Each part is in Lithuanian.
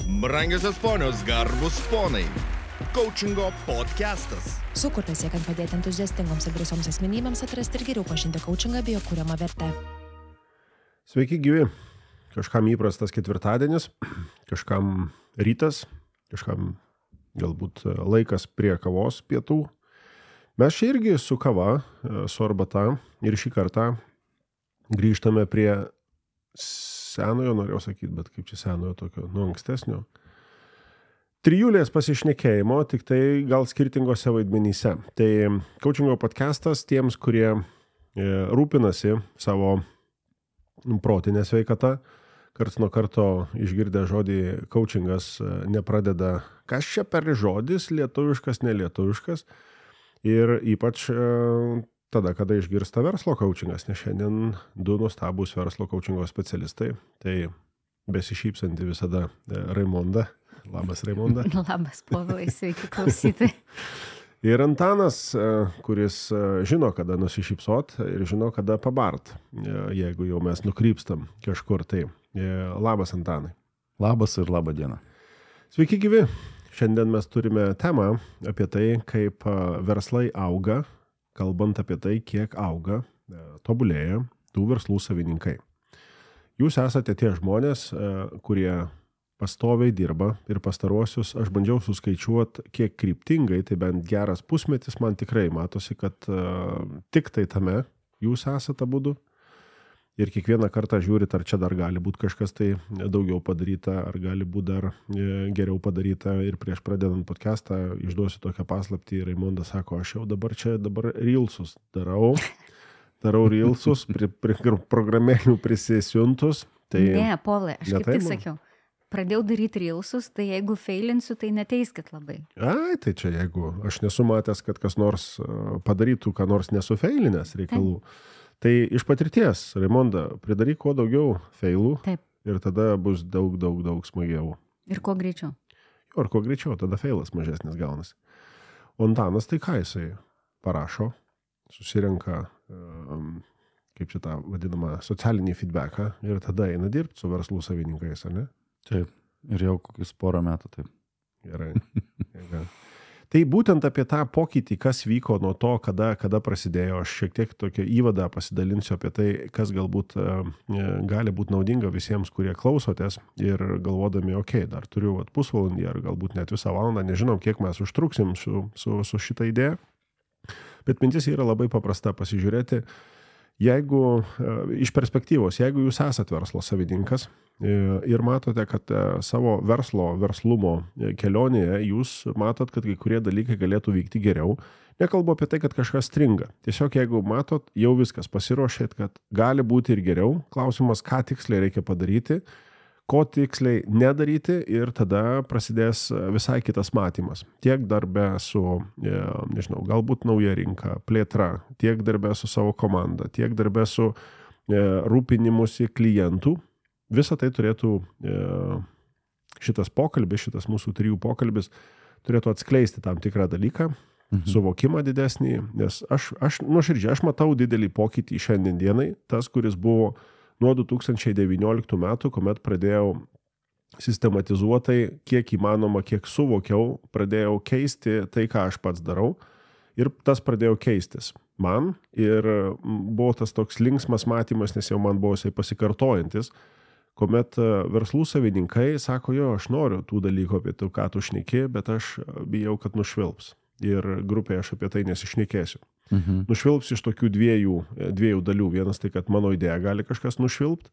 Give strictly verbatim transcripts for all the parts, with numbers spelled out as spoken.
Brangiosios ponios, garbus ponai. Coachingo podcastas. Sukurtas siekiant padėti entuziastingoms ir drąsioms asmenybėms atrasti ir geriau pažinti coachingą bei jo kuriamą vertę. Sveiki gyvi. Kažkam įprastas ketvirtadienis, kažkam rytas, kažkam galbūt laikas prie kavos pietų. Mes čia irgi su kava, su arbata ir šį kartą grįžtame prie senojo, norėjau sakyti, bet kaip čia senojo tokio, nu ankstesnio. Trijulės pasišnekėjimo, tik tai gal skirtingose vaidmenyse. Tai coachingo podcastas tiems, kurie rūpinasi savo protinę sveikatą. Karts nuo karto išgirdę žodį coachingas nepradeda, kas čia per žodis, lietuviškas, nelietuviškas. Ir ypač tada, kada išgirsta verslo coachingas, nes šiandien du nuostabūs verslo coachingo specialistai. Tai besišypsanti visada Raimonda. Labas, Raimonda. Labas, Povilai, sveiki klausytojai. Ir Antanas, kuris žino, kada nusišypsot ir žino, kada pabart, jeigu jau mes nukrypstam kažkur. Tai labas, Antanai. Labas ir labą dieną. Sveiki gyvi. Šiandien mes turime temą apie tai, kaip verslai auga, kalbant apie tai, kiek auga, tobulėja tų verslų savininkai. Jūs esate tie žmonės, kurie pastoviai dirba ir pastaruosius, aš bandžiau suskaičiuoti, kiek kryptingai, tai bent geras pusmetis, man tikrai matosi, kad uh, tik tai tame jūs esate abudu. Ir kiekvieną kartą žiūrit, ar čia dar gali būti kažkas tai daugiau padaryta, ar gali būti dar geriau padaryta. Ir prieš pradedant podcastą išduosiu tokią paslaptį. Raimonda sako, aš jau dabar čia dabar reelsus darau. Darau reelsus, pri, pri, programėlių prisisiuntus. Tai ne, Povilai, aš kaip tik man sakiau. Pradėjau daryti reelsus, tai jeigu feilinsiu, tai neteiskit labai. Ai, tai čia jeigu aš nesu matęs, kad kas nors padarytų, ką nors nesufeilinės reikalų. Taip. Tai iš patirties, Raimonda, pridaryk kuo daugiau feilų. Taip. Ir tada bus daug, daug, daug smagiau. Ir kuo greičiau. Jo, ir kuo greičiau, tada feilas mažesnis gaunasi. O Antanas tai ką jisai parašo, susirenka, um, kaip čia tą vadinamą, socialinį feedbacką ir tada eina dirbti su verslų savininkais, ar ne? Taip, ir jau kokius porą metų taip. Gerai. Gerai. Tai būtent apie tą pokytį, kas vyko nuo to, kada, kada prasidėjo, aš šiek tiek tokią įvadą pasidalinsiu apie tai, kas galbūt e, gali būti naudinga visiems, kurie klausotės ir galvodami, okei, okay, dar turiu vat, pusvalandį ar galbūt net visą valandą, nežinom, kiek mes užtruksim su, su, su šitą idėją, bet mintis yra labai paprasta pasižiūrėti. Jeigu, iš perspektyvos, jeigu jūs esat verslo savininkas ir matote, kad savo verslo, verslumo kelionėje jūs matot, kad kai kurie dalykai galėtų vykti geriau, nekalbu apie tai, kad kažkas stringa. Tiesiog jeigu matot, jau viskas pasiruošėt, kad gali būti ir geriau, klausimas, ką tiksliai reikia padaryti, ko tiksliai nedaryti ir tada prasidės visai kitas matymas. Tiek darbe su, nežinau, galbūt nauja rinka, plėtra, tiek darbe su savo komanda, tiek darbe su rūpinimusi klientų. Visą tai turėtų, šitas pokalbis, šitas mūsų trijų pokalbis turėtų atskleisti tam tikrą dalyką, mhm. suvokimą didesnį, nes aš, aš nuoširdžiai, aš matau didelį pokytį šiandien dienai, tas, kuris buvo nuo du tūkstančiai devynioliktų metų, kuomet pradėjau sistematizuotai, kiek įmanoma, kiek suvokiau, pradėjau keisti tai, ką aš pats darau ir tas pradėjo keistis man ir buvo tas toks linksmas matymas, nes jau man buvo jisai pasikartojantis, kuomet verslų savininkai sako, jo, aš noriu tų dalykų apie tai, ką tu šneki, bet aš bijau, kad nušvilps. Ir grupėje aš apie tai nesišnekėsiu. Mhm. Nušvilps iš tokių dviejų, dviejų dalių. Vienas tai, kad mano idėja gali kažkas nušvilpt,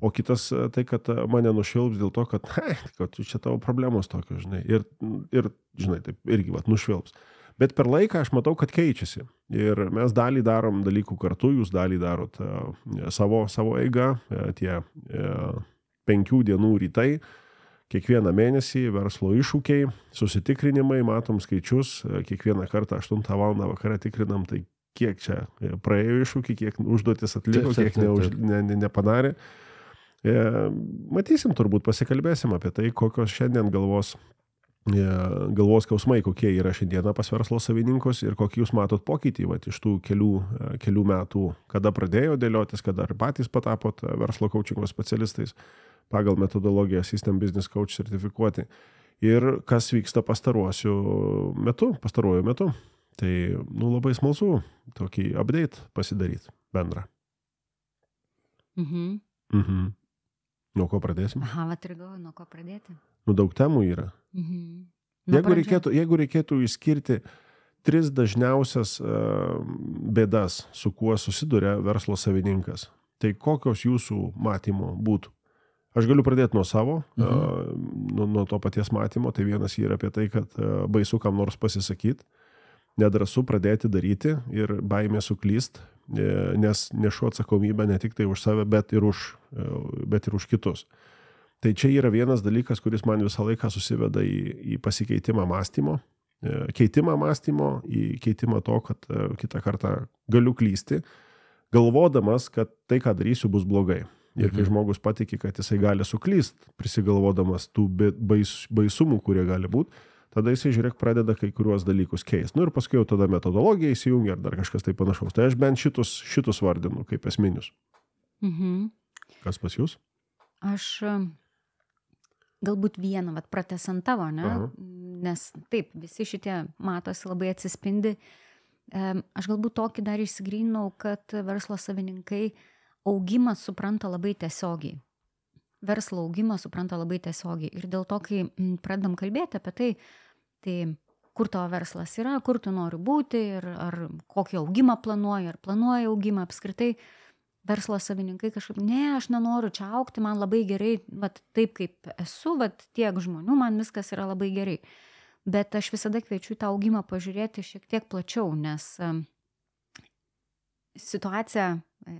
o kitas tai, kad mane nušvilps dėl to, kad, hei, kad čia tavo problemos tokios, žinai. Ir, ir žinai, taip irgi, vat, nušvilps. Bet per laiką aš matau, kad keičiasi. Ir mes dalį darom dalykų kartu, jūs dalį darot uh, savo, savo eigą, uh, tie uh, penkių dienų rytai, kiekvieną mėnesį verslo iššūkiai, susitikrinimai, matom skaičius, kiekvieną kartą aštuntą valandą vakarą tikrinam, tai kiek čia praėjo iššūkį, kiek užduotis atliko, kiek neuž, ne, ne, nepadarė. E, matysim turbūt, pasikalbėsim apie tai, kokios šiandien galvos, e, galvos skausmai, kokie yra šiandieną pas verslo savininkus ir kokį jūs matot pokytį vat, iš tų kelių, kelių metų, kada pradėjo dėliotis, kada ar patys patapot verslo coachingo specialistais. pagal metodologiją System Business Coach sertifikuoti. Ir kas vyksta pastaruosiu metu, pastaruoju metu. Tai, nu, labai smalsu tokį update pasidaryti bendrą. Mhm. Mhm. Nuo ko pradėsim? Aha, va, ir galvoju, nuo ko pradėti. Nu, daug temų yra. Mhm. Jeigu reikėtų, jeigu reikėtų išskirti tris dažniausias uh, bėdas, su kuo susiduria verslo savininkas, tai kokios jūsų matymo būtų? Aš galiu pradėti nuo savo, mhm. uh, nuo, nuo to paties matymo. Tai vienas yra apie tai, kad uh, baisu kam nors pasisakyti, nedrąsu pradėti daryti ir baimė suklyst, nes nešu atsakomybę ne tik tai už save, bet ir už, bet ir už kitus. Tai čia yra vienas dalykas, kuris man visą laiką susiveda į, į pasikeitimą mąstymo, keitimą mąstymo, į keitimą to, kad kitą kartą galiu klysti, galvodamas, kad tai, ką darysiu, bus blogai. Ir kai žmogus patiki, kad jisai gali suklyst, prisigalvodamas tų bais, baisumų, kurie gali būti, tada jisai, žiūrėk, pradeda kai kuriuos dalykus keist. Nu ir paskui jau tada metodologija įsijungia ar dar kažkas tai panašaus. Tai aš bent šitus, šitus vardinu kaip esminius. Mhm. Kas pas jūs? Aš galbūt vieną, vat pratęsant tavo, ne? Aha. Nes taip, visi šitie matosi labai atsispindi. Aš galbūt tokį dar išsigryninau, kad verslo savininkai augimą supranta labai tiesiogiai. Verslo augimą supranta labai tiesiogiai. Ir dėl to, kai pradedam kalbėti apie tai, tai kur tavo verslas yra, kur tu nori būti ir ar kokį augimą planuoji, ar planuoji augimą apskritai, verslo savininkai kažkaip, ne, aš nenoriu čia augti, man labai gerai, vat, taip kaip esu, vat, tiek žmonių, man viskas yra labai gerai. Bet aš visada kviečiu tą augimą pažiūrėti šiek tiek plačiau, nes situacija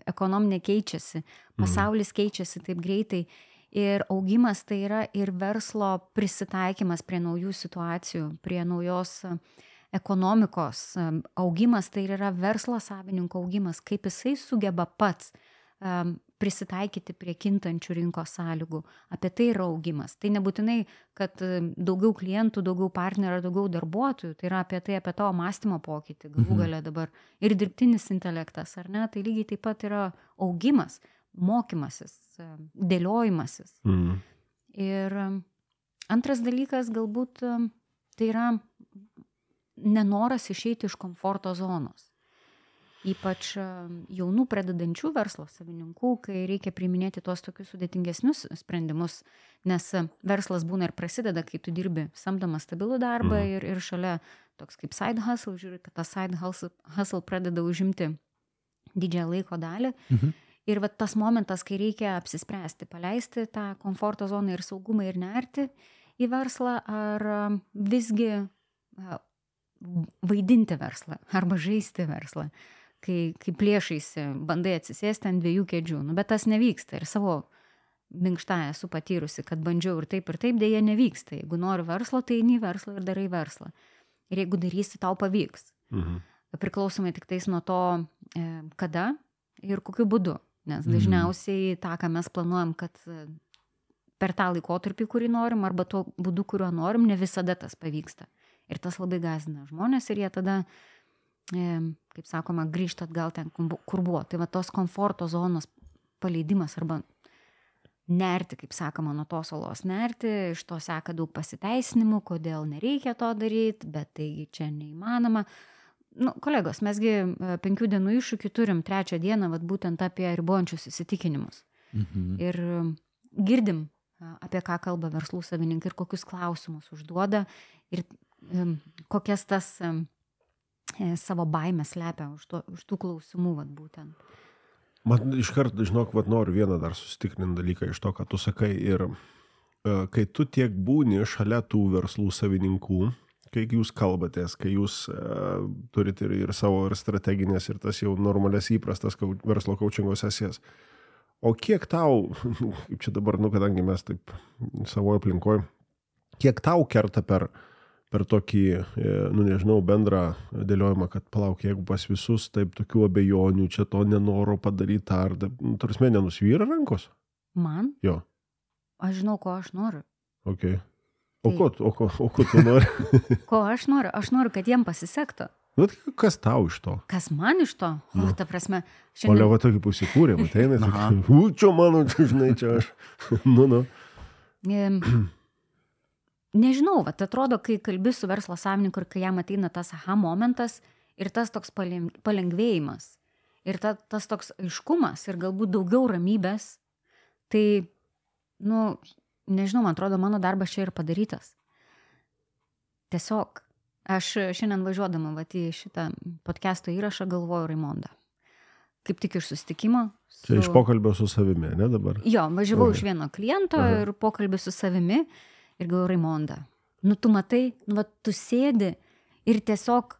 ekonominė keičiasi, pasaulis keičiasi taip greitai. Ir augimas tai yra ir verslo prisitaikymas prie naujų situacijų, prie naujos ekonomikos. Augimas tai yra verslo savininko augimas, kaip jisai sugeba pats um, prisitaikyti prie kintančių rinkos sąlygų. Apie tai yra augimas. Tai nebūtinai, kad daugiau klientų, daugiau partnerių, daugiau darbuotojų. Tai yra apie tai, apie tavo mąstymo pokytį. Galų gale dabar ir dirbtinis intelektas, ar ne? Tai lygiai taip pat yra augimas. Mokymasis, dėliojimasis. Mm. Ir antras dalykas galbūt tai yra nenoras išeiti iš komforto zonos. Ypač jaunų pradedančių verslo savininkų, kai reikia priiminėti tuos tokius sudėtingesnius sprendimus, nes verslas būna ir prasideda, kai tu dirbi samdomą stabilų darbą mm. ir, ir šalia toks kaip side hustle, žiūri, kad tas side hustle, hustle pradeda užimti didžiąją laiko dalį. Mhm. Ir va tas momentas, kai reikia apsispręsti, paleisti tą komforto zoną ir saugumą ir nerti į verslą, ar visgi vaidinti verslą, arba žaisti verslą, kai, kai plėšaisi, bandai atsisėsti ant dviejų kėdžių. Nu, bet tas nevyksta ir savo minkštąją esu patyrusi, kad bandžiau ir taip ir taip, dėja nevyksta. Jeigu nori verslo, tai eini į verslą ir darai verslą. Ir jeigu darysi, tau pavyks. Mhm. Priklausomai tik tais nuo to, kada ir kokiu būdu. Nes dažniausiai tą, ką mes planuojam, kad per tą laikotarpį, kurį norim, arba tuo būdu, kuriuo norim, ne visada tas pavyksta. Ir tas labai gąsdina žmonės ir jie tada, kaip sakoma, grįžta atgal ten, kur buvo. Tai va tos komforto zonos paleidimas arba nerti, kaip sakoma, nuo tos olos nerti, iš to seka daug pasiteisinimų, kodėl nereikia to daryti, bet taigi čia neįmanoma. Nu, kolegos, mesgi penkių dienų iššūkį turim trečią dieną, vat būtent apie ribojančius įsitikinimus. Mhm. Ir girdim, apie ką kalba verslų savininkai ir kokius klausimus užduoda ir um, kokias tas um, savo baimės slepia už, to, už tų klausimų, vat būtent. Man iškart, žinok, vat noriu vieną dar susitikrinti dalyką iš to, ką tu sakai. Ir uh, kai tu tiek būni šalia tų verslų savininkų, kai jūs kalbatės, kai jūs uh, turite ir, ir savo ir strateginės, ir tas jau normalias įprastas kau, verslo coachingo sesijas. O kiek tau, kaip čia dabar, nu, kadangi mes taip savo aplinkoje, kiek tau kerta per, per tokį, nu, nežinau, bendrą dėliojimą, kad palauk, jeigu pas visus taip tokių abejonių, čia to nenoro padaryti, ar, nu, tarsi nenusvyra rankos? Man? Jo. Aš žinau, ko aš noriu. Ok. O ko, o ko, o ko tu nori? Ko aš noriu? Aš noriu, kad jiem pasisektų. Nu, tai kas tau iš to? Kas man iš to? O, ta prasme, O šiandien... Leva tokį pusikūrė, ateina, u, čia mano, čia žinai, čia aš. nu, nu. Em, Nežinau, vat atrodo, kai kalbi su verslo savininku ir kai jam ateina tas aha momentas ir tas toks paleng- palengvėjimas ir ta, tas toks aiškumas ir galbūt daugiau ramybės, tai, nu, nežinau, man atrodo, mano darbas čia ir padarytas. Tiesiog, aš šiandien važiuodama vat į šitą podcast'o įrašą galvoju Raimondą. Kaip tik iš susitikimo. Su... Čia iš pokalbio su savimi, ne dabar? Jo, važiavau Aha. iš vieno kliento Aha. ir pokalbį su savimi ir galvoju Raimondą. Nu, tu matai, nu, va, tu sėdi ir tiesiog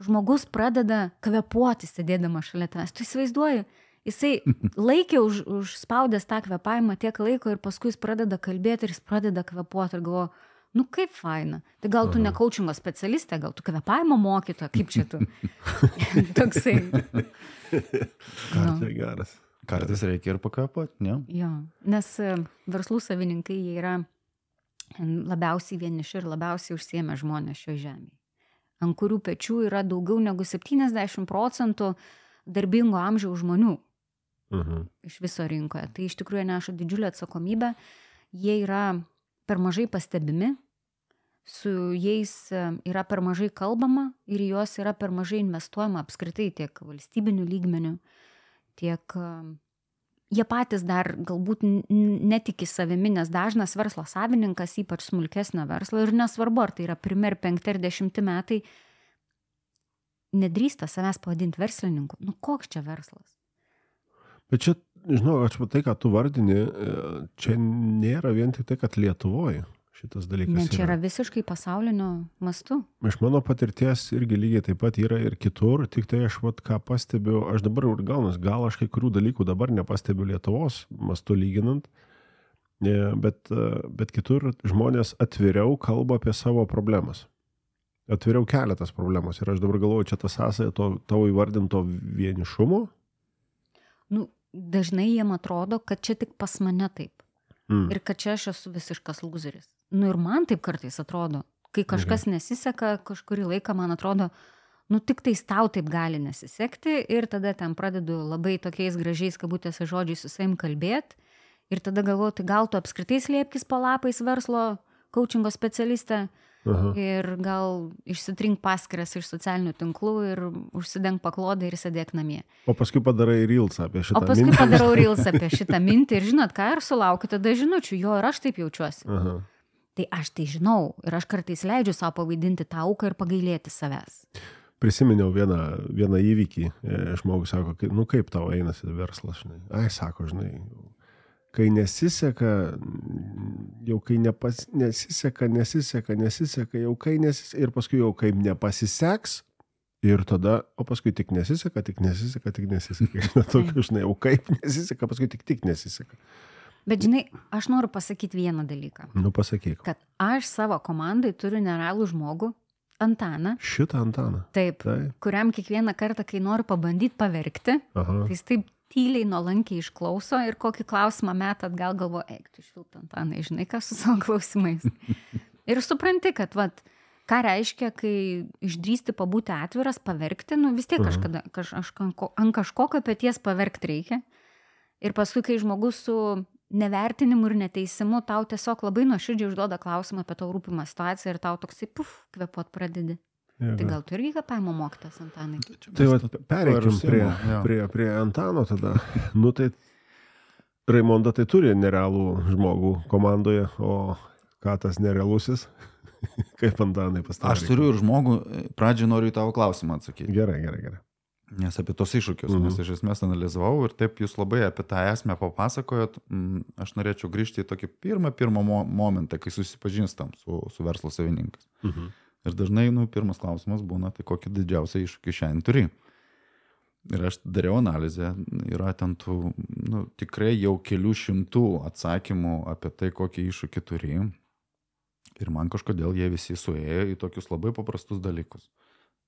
žmogus pradeda kvepuoti sėdėdama šalia tavęs. Tu įsivaizduoji, jisai laikė už, užspaudęs tą kvepavimą tiek laiko ir paskui jis pradeda kalbėti ir jis pradeda kvepuoti ir galvoju, nu kaip faina. Tai gal tu ne coachingo specialistė, gal tu kvepavimo mokytoja, kaip čia tu? Toksai. Kartai geras. Kartais reikia ir pakvėpuoti, ne? Jo, nes e, verslų savininkai jie yra labiausiai vieniši ir labiausiai užsiėmę žmonės šio žemėje, ant kurių pečių yra daugiau negu septyniasdešimt procentų darbingo amžiaus žmonių Mhm. iš viso rinkoje. Tai iš tikrųjų neša didžiulę atsakomybę, jie yra per mažai pastebimi, su jais e, yra per mažai kalbama ir į juos yra per mažai investuojama apskritai tiek valstybinių lygmenių, tiek e, jie patys dar galbūt n- n- netiki savimi, nes dažnas verslo savininkas, ypač smulkesnio verslo, ir nesvarbu, ar tai yra pirmi, ar penkti, ar dešimti metai, nedrįsta savęs pavadinti verslininku. Nu, koks čia verslas? Bet čia, žinau, aš tai, ką tu vardini, čia nėra vien tik tai, kad Lietuvoje šitas dalykas Ne, čia yra visiškai pasaulinio mastu. Iš mano patirties irgi lygiai taip pat yra ir kitur, tik tai aš vat, ką pastebiu, aš dabar ir gaunas, gal aš kai kurių dalykų dabar nepastebiu Lietuvos mastu lyginant, bet, bet kitur žmonės atviriau kalba apie savo problemas. Atviriau keletas problemos ir aš dabar galvoju, čia tas sąsaja to tavo įvardinto vienišumo. Nu, dažnai jiem atrodo, kad čia tik pas mane taip. Mm. Ir kad čia aš esu visiškas lūzeris. Nu ir man taip kartais atrodo. Kai kažkas nesiseka, kažkurį laiką man atrodo, nu tik tais tau taip gali nesisekti ir tada ten pradedu labai tokiais gražiais kabutėse žodžiais su savim kalbėti ir tada galvoju, tai gal tu apskritai slėpkis po lapais verslo coachingo specialistė Aha. ir gal išsitrink paskiras iš socialinių tinklų ir užsideng paklodę ir sėdėk namie. O paskui padarai reelsą apie šitą O paskui mintį. padarau reels apie šitą mintį ir žinot ką, ir sulaukiu tada žinučių, jo ir aš taip jaučiuosi. Aha. Tai aš tai žinau ir aš kartais leidžiu savo pavaidinti tą auką ir pagailėti savęs. Prisiminiau vieną, vieną įvykį. E, Žmogus sako, kai, nu kaip tau einasi verslas, žinai. Ai, sako, žinai, kai nesiseka, jau kai nepas, nesiseka, nesiseka, nesiseka, jau kai nesiseka, ir paskui jau kai nepasiseks, ir tada, o paskui tik nesiseka, tik nesiseka, tik nesiseka. Tokiu, žinai, jau kaip nesiseka, paskui tik tik nesiseka. Bet žinai, aš noriu pasakyti vieną dalyką. Nu, pasakyk. Kad aš savo komandai turiu nerealų žmogų, Antaną, Šitą Antaną. taip, Taip. kuriam kiekvieną kartą, kai noriu pabandyti paverkti, Aha. tai jis taip tyliai, nuolankiai išklauso ir kokį klausimą metą atgal galvo, eik, tu švilpt Antanai, žinai, ką su savo klausimais. Ir supranti, kad, vat, ką reiškia, kai išdrįsti pabūti atviras, paverkti, nu vis tiek kažkada, kaž, aš, ant kažkokio peties paverkti reikia. Ir paskui, kai žmogus su nevertinimu ir neteisimu, tau tiesiog labai nuoširdžiai užduoda klausimą apie tau rūpimą situaciją ir tau toksai, puf, kvepuot pradedi. Jėga. Tai gal tu irgi kvepavimo mokytas, Antanai? Tai va, pereikim užsiimu, prie, jo. prie, prie Antano tada. Nu tai Raimonda tai turi nerealų žmogų komandoje, o ką tas nerealusis? Kaip Antanai pastarė? Aš turiu ir žmogų, pradžiai noriu į tavo klausimą atsakyti. Gerai, gerai, gerai. Nes apie tos iššūkius, Mhm. nes iš esmės analizavau ir taip jūs labai apie tą esmę papasakojot. Mm, Aš norėčiau grįžti į tokį pirmą, pirmą mo momentą, kai susipažinstam su, su verslo savininkas. Mhm. Ir dažnai, nu, pirmas klausimas būna, tai kokį didžiausią iššūkį šiandien turi. Ir aš dariau analizę, yra ten tų, nu, tikrai jau kelių šimtų atsakymų apie tai, kokį iššūkį turi. Ir man kažkodėl jie visi suėjo į tokius labai paprastus dalykus.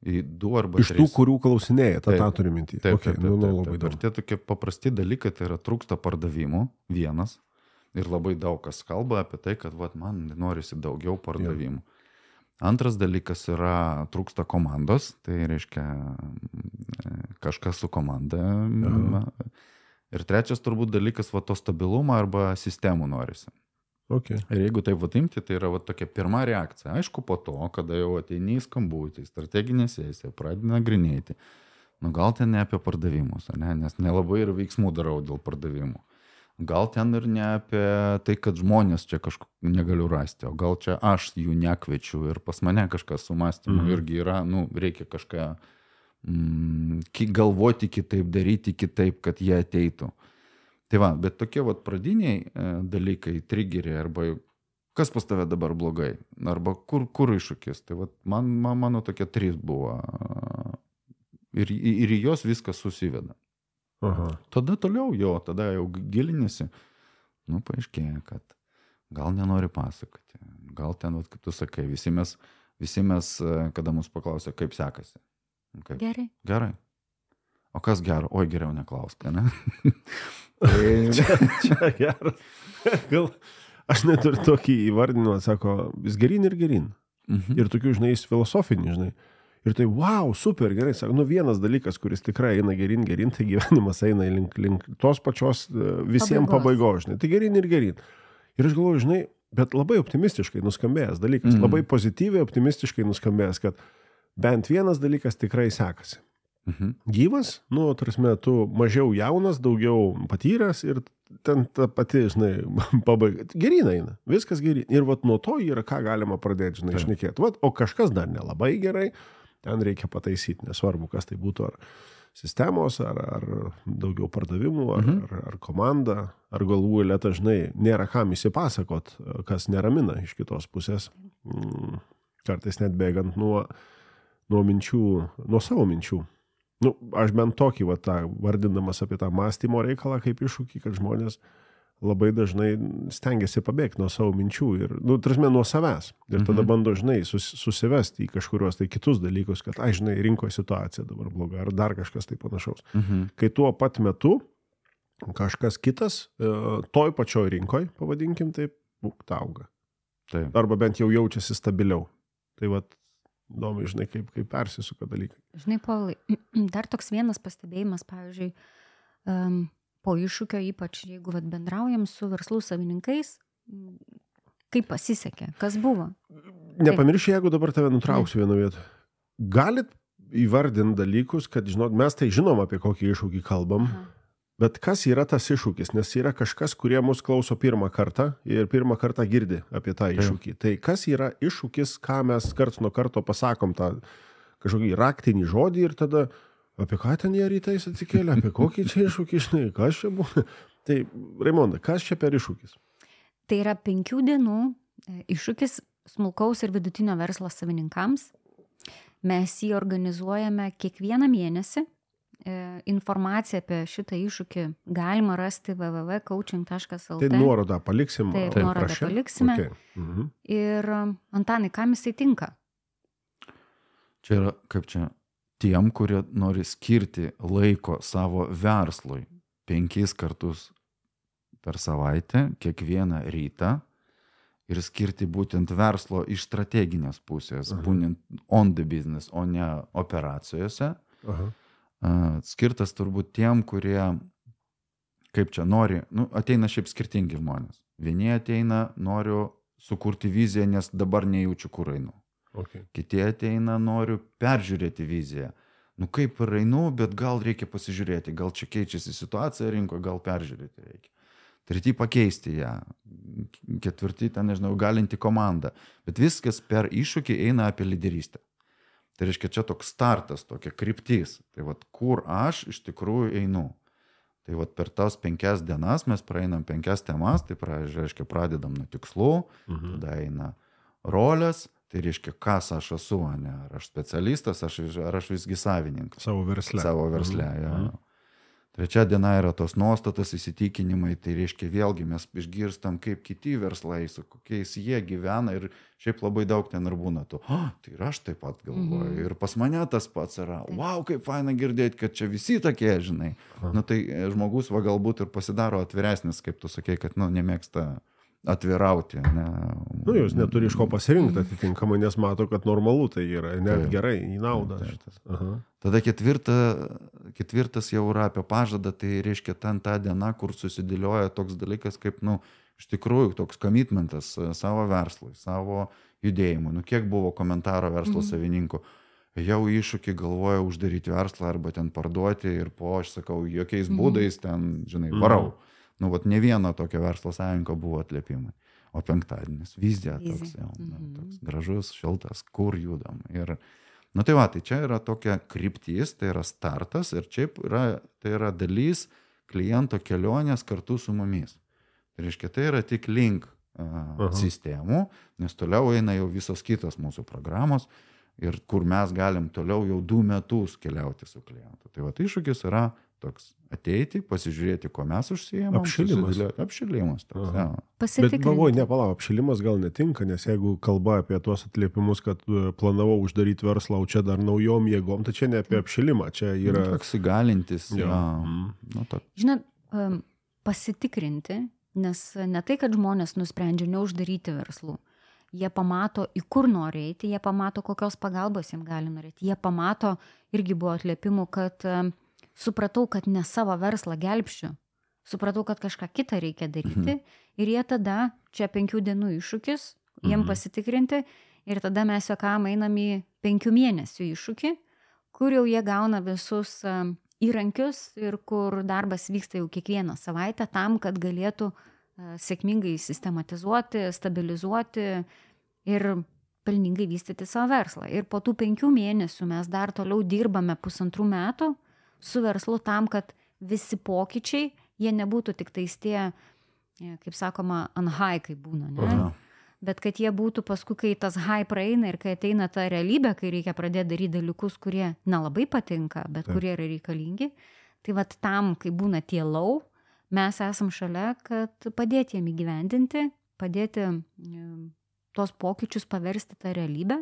Į du arba Iš tų, tris. kurių klausinėja, tą, Taip. tą turi mintį. Taip, Okay, taip, nu, taip, nu, taip, labai taip. Ir daug. tie tokie paprasti dalykai, tai yra trūksta pardavimų, vienas. Ir labai daug kas kalba apie tai, kad vat, man norisi daugiau pardavimų. Antras dalykas yra trūksta komandos, tai reiškia kažkas su komanda. Aha. Ir trečias turbūt dalykas, va to stabilumą arba sistemų norisi. Okay. Ir jeigu taip va imti, tai yra va tokia pirma reakcija. Aišku, po to, kada jau ateini į skambutį, strateginė sesija, pradedi nagrinėti, nu gal ten ne apie pardavimus, ne? Nes nelabai ir veiksmų darau dėl pardavimų. Gal ten ir ne apie tai, kad žmonės čia kažko negaliu rasti, o gal čia aš jų nekviečiu ir pas mane kažkas su mąstymu mm. irgi yra, nu, reikia kažką mm, galvoti kitaip, daryti kitaip, kad jie ateitų. Tai va, bet tokie vat pradiniai e, dalykai, trigeriai, arba kas pas tave dabar blogai, arba kur, kur iššūkis. Tai vat man, man, mano tokie trys buvo ir, ir į jos viskas susiveda. Aha. Tada toliau jo, tada jau gilinėsi, nu, paaiškėja, kad gal nenori pasakoti, gal ten, vat, kaip tu sakai, visi mes, visi mes, kada mus paklausė, kaip sekasi. Kaip? Gerai. Gerai. O kas gero? Oi, geriau neklausk, ne? čia, čia geras. Gal aš net ir tokį įvardinimą, sako, vis gerin ir gerin. Mhm. Ir tokių, žinai, filosofinį, žinai. Ir tai, wow, super, gerai, sako, nu vienas dalykas, kuris tikrai eina gerin, gerin, tai gyvenimas eina link, link tos pačios visiems pabaigos, žinai, tai gerin ir gerin. Ir aš galvoju, žinai, bet labai optimistiškai nuskambėjęs dalykas, mhm. labai pozityviai optimistiškai nuskambėjęs, kad bent vienas dalykas tikrai sekasi. Mhm. Gyvas, nu, tarsi, tu mažiau jaunas, daugiau patyręs ir ten ta pati, žinai, pabaiga. Gerin eina, viskas gerin. Ir vat nuo to yra, ką galima pradėti, žinai, šnekėti. Vat, o kažkas dar nelabai gerai, ten reikia pataisyti, nesvarbu, kas tai būtų, ar sistemos, ar, ar daugiau pardavimų, ar, mhm. ar, ar komanda, ar galvų eilėta, žinai, nėra kam įsipasakot, kas neramina iš kitos pusės. Kartais net bėgant nuo, nuo minčių, nuo savo minčių. Nu, aš bent tokį, va, tą, vardindamas apie tą mąstymo reikalą kaip iššūkį, kad žmonės labai dažnai stengiasi pabėgti nuo savo minčių ir, nu, tarsi, nuo savęs. Ir tada mhm. bando, žinai, sus, susivesti į kažkurios tai kitus dalykus, kad, ai, žinai, rinkoje situacija dabar bloga, ar dar kažkas tai panašaus. Mhm. Kai tuo pat metu kažkas kitas, toj pačioj rinkoj, pavadinkim taip, auga. Taip. Arba bent jau jaučiasi stabiliau. Tai vat, įdomu, žinai, kaip, kaip persisuka dalykai. Žinai, Paulai, dar toks vienas pastebėjimas, pavyzdžiui, um, po iššūkio, ypač jeigu vat, bendraujam su verslų savininkais, kaip pasisekė, kas buvo? Nepamirši, jeigu dabar tave nutrauksiu vieną vietą. Galit įvardinti dalykus, kad, žinot, mes tai žinom, apie kokį iššūkį kalbam, aha. Bet kas yra tas iššūkis? Nes yra kažkas, kurie mus klauso pirmą kartą ir pirmą kartą girdi apie tą iššūkį. Tai, tai kas yra iššūkis, ką mes karts nuo karto pasakom tą kažkokį raktinį žodį ir tada apie ką ten jie rytais atsikėlė, apie kokį čia iššūkį, žinai, kas čia buvo. Tai, Raimonda, kas čia per iššūkis? Tai yra penkių dienų iššūkis smulkaus ir vidutinio verslo savininkams. Mes jį organizuojame kiekvieną mėnesį. Informaciją apie šitą iššūkį galima rasti w w w taškas coaching taškas l t. Tai nuorodą paliksim. Taip, nuorodą prašė. Paliksime. Okay. Mhm. Ir Antanai, kam jisai tinka? Čia yra, kaip čia, tiem, kurie nori skirti laiko savo verslui penkis kartus per savaitę, kiekvieną rytą ir skirti būtent verslo iš strateginės pusės, aha. Būtent on the business, o ne operacijose. Aha. Skirtas turbūt tiem, kurie, kaip čia, nori, nu, ateina šiaip skirtingi žmonės. Vieni ateina, noriu sukurti viziją, nes dabar nejaučiu, kur einu. Okay. Kiti ateina, noriu peržiūrėti viziją. Nu, kaip ir einu, bet gal reikia pasižiūrėti, gal čia keičiasi situacija rinkoje, gal peržiūrėti reikia. Treti pakeisti ją. Ketvirti, ten, nežinau, galinti komandą. Bet viskas per iššūkį eina apie lyderystę. Tai reiškia, čia toks startas, tokia kryptis. Tai vat, kur aš iš tikrųjų einu. Tai vat, per tas penkias dienas mes praeinam penkias temas, tai reiškia, pradedam nuo tikslų, mhm. tada eina rolės, tai reiškia, kas aš esu, ne? Ar aš specialistas, aš, ar aš visgi savininkas. Savo versle. Savo versle, mhm. ja. Mhm. Trečia diena yra tos nuostatos, įsitikinimai, tai reiškia vėlgi mes išgirstam, kaip kiti verslai, su kokiais jie gyvena ir šiaip labai daug ten ir būna to, oh, tai ir aš taip pat galvoju, mm-hmm. ir pas mane tas pats yra, wow, kaip faina girdėti, kad čia visi tokie, žinai. Aha. Nu tai žmogus va galbūt ir pasidaro atviresnis, kaip tu sakei, kad nu, nemėgsta atvirauti. Ne? Nu, jūs neturi iš ko pasirinkti atitinkamai, nes mato, kad normalu tai yra, net Taip. gerai, į naudą Taip, šitas. Aha. Tada ketvirta, ketvirtas jau yra apie pažadą, tai reiškia ten ta diena, kur susidėlioja toks dalykas kaip, nu, iš tikrųjų toks commitmentas savo verslui, savo judėjimui. Nu, kiek buvo komentaro verslo mhm. savininkų, jau iššūkį galvoja uždaryti verslą arba ten parduoti ir po, aš sakau, jokiais mhm. būdais ten, žinai, varau. Mhm. Nu, vat ne vieno tokio verslo savininko buvo atliepimai. O penktadienis, vizija toks, jau, nu, toks gražus, šiltas, kur judam. Ir, nu tai va, tai čia yra tokia kryptis, tai yra startas ir čia yra, tai yra dalis kliento kelionės kartu su mumis. Tai reiškia, tai yra tik link uh, sistemų, nes toliau eina jau visos kitos mūsų programos ir kur mes galim toliau jau du metus keliauti su klientu. Tai va, tai iššūkis yra toks ateiti, pasižiūrėti, ko mes užsiėmam. Apšilimas. Apšilimas. Toks, ja. Bet galvoju, nepalau, apšilimas gal netinka, nes jeigu kalba apie tuos atliepimus, kad planavau uždaryti verslą, o čia dar naujom jėgom, tai čia ne apie apšilimą, čia yra... Toks įgalintis. Jo. Ja. Mm. Nu, to... Žinot, pasitikrinti, nes ne tai, kad žmonės nusprendžia neuždaryti verslų. Jie pamato, į kur nori eiti, jie pamato, kokios pagalbos jiems gali norėti. Jie pamato, irgi buvo atliepimų, kad supratau, kad ne savo verslą gelbščiu, supratau, kad kažką kitą reikia daryti mhm. ir jie tada, čia penkių dienų iššūkis, jiem mhm. pasitikrinti ir tada mes juokam einam į penkių mėnesių iššūkį, kur jau jie gauna visus uh, įrankius ir kur darbas vyksta jau kiekvieną savaitę tam, kad galėtų uh, sėkmingai sistematizuoti, stabilizuoti ir pelningai vystyti savo verslą. Ir po tų penkių mėnesių mes dar toliau dirbame pusantrų metų su verslu tam, kad visi pokyčiai, jie nebūtų tik tais tie, kaip sakoma, on high, kaip būna, ne? Aha. Bet kad jie būtų paskui, kai tas high praeina ir kai ateina ta realybė, kai reikia pradėti daryti dalykus, kurie nelabai patinka, bet Taip. Kurie yra reikalingi, tai vat tam, kai būna tie low, mes esam šalia, kad padėti jiem įgyvendinti, padėti tos pokyčius paversti tą realybę,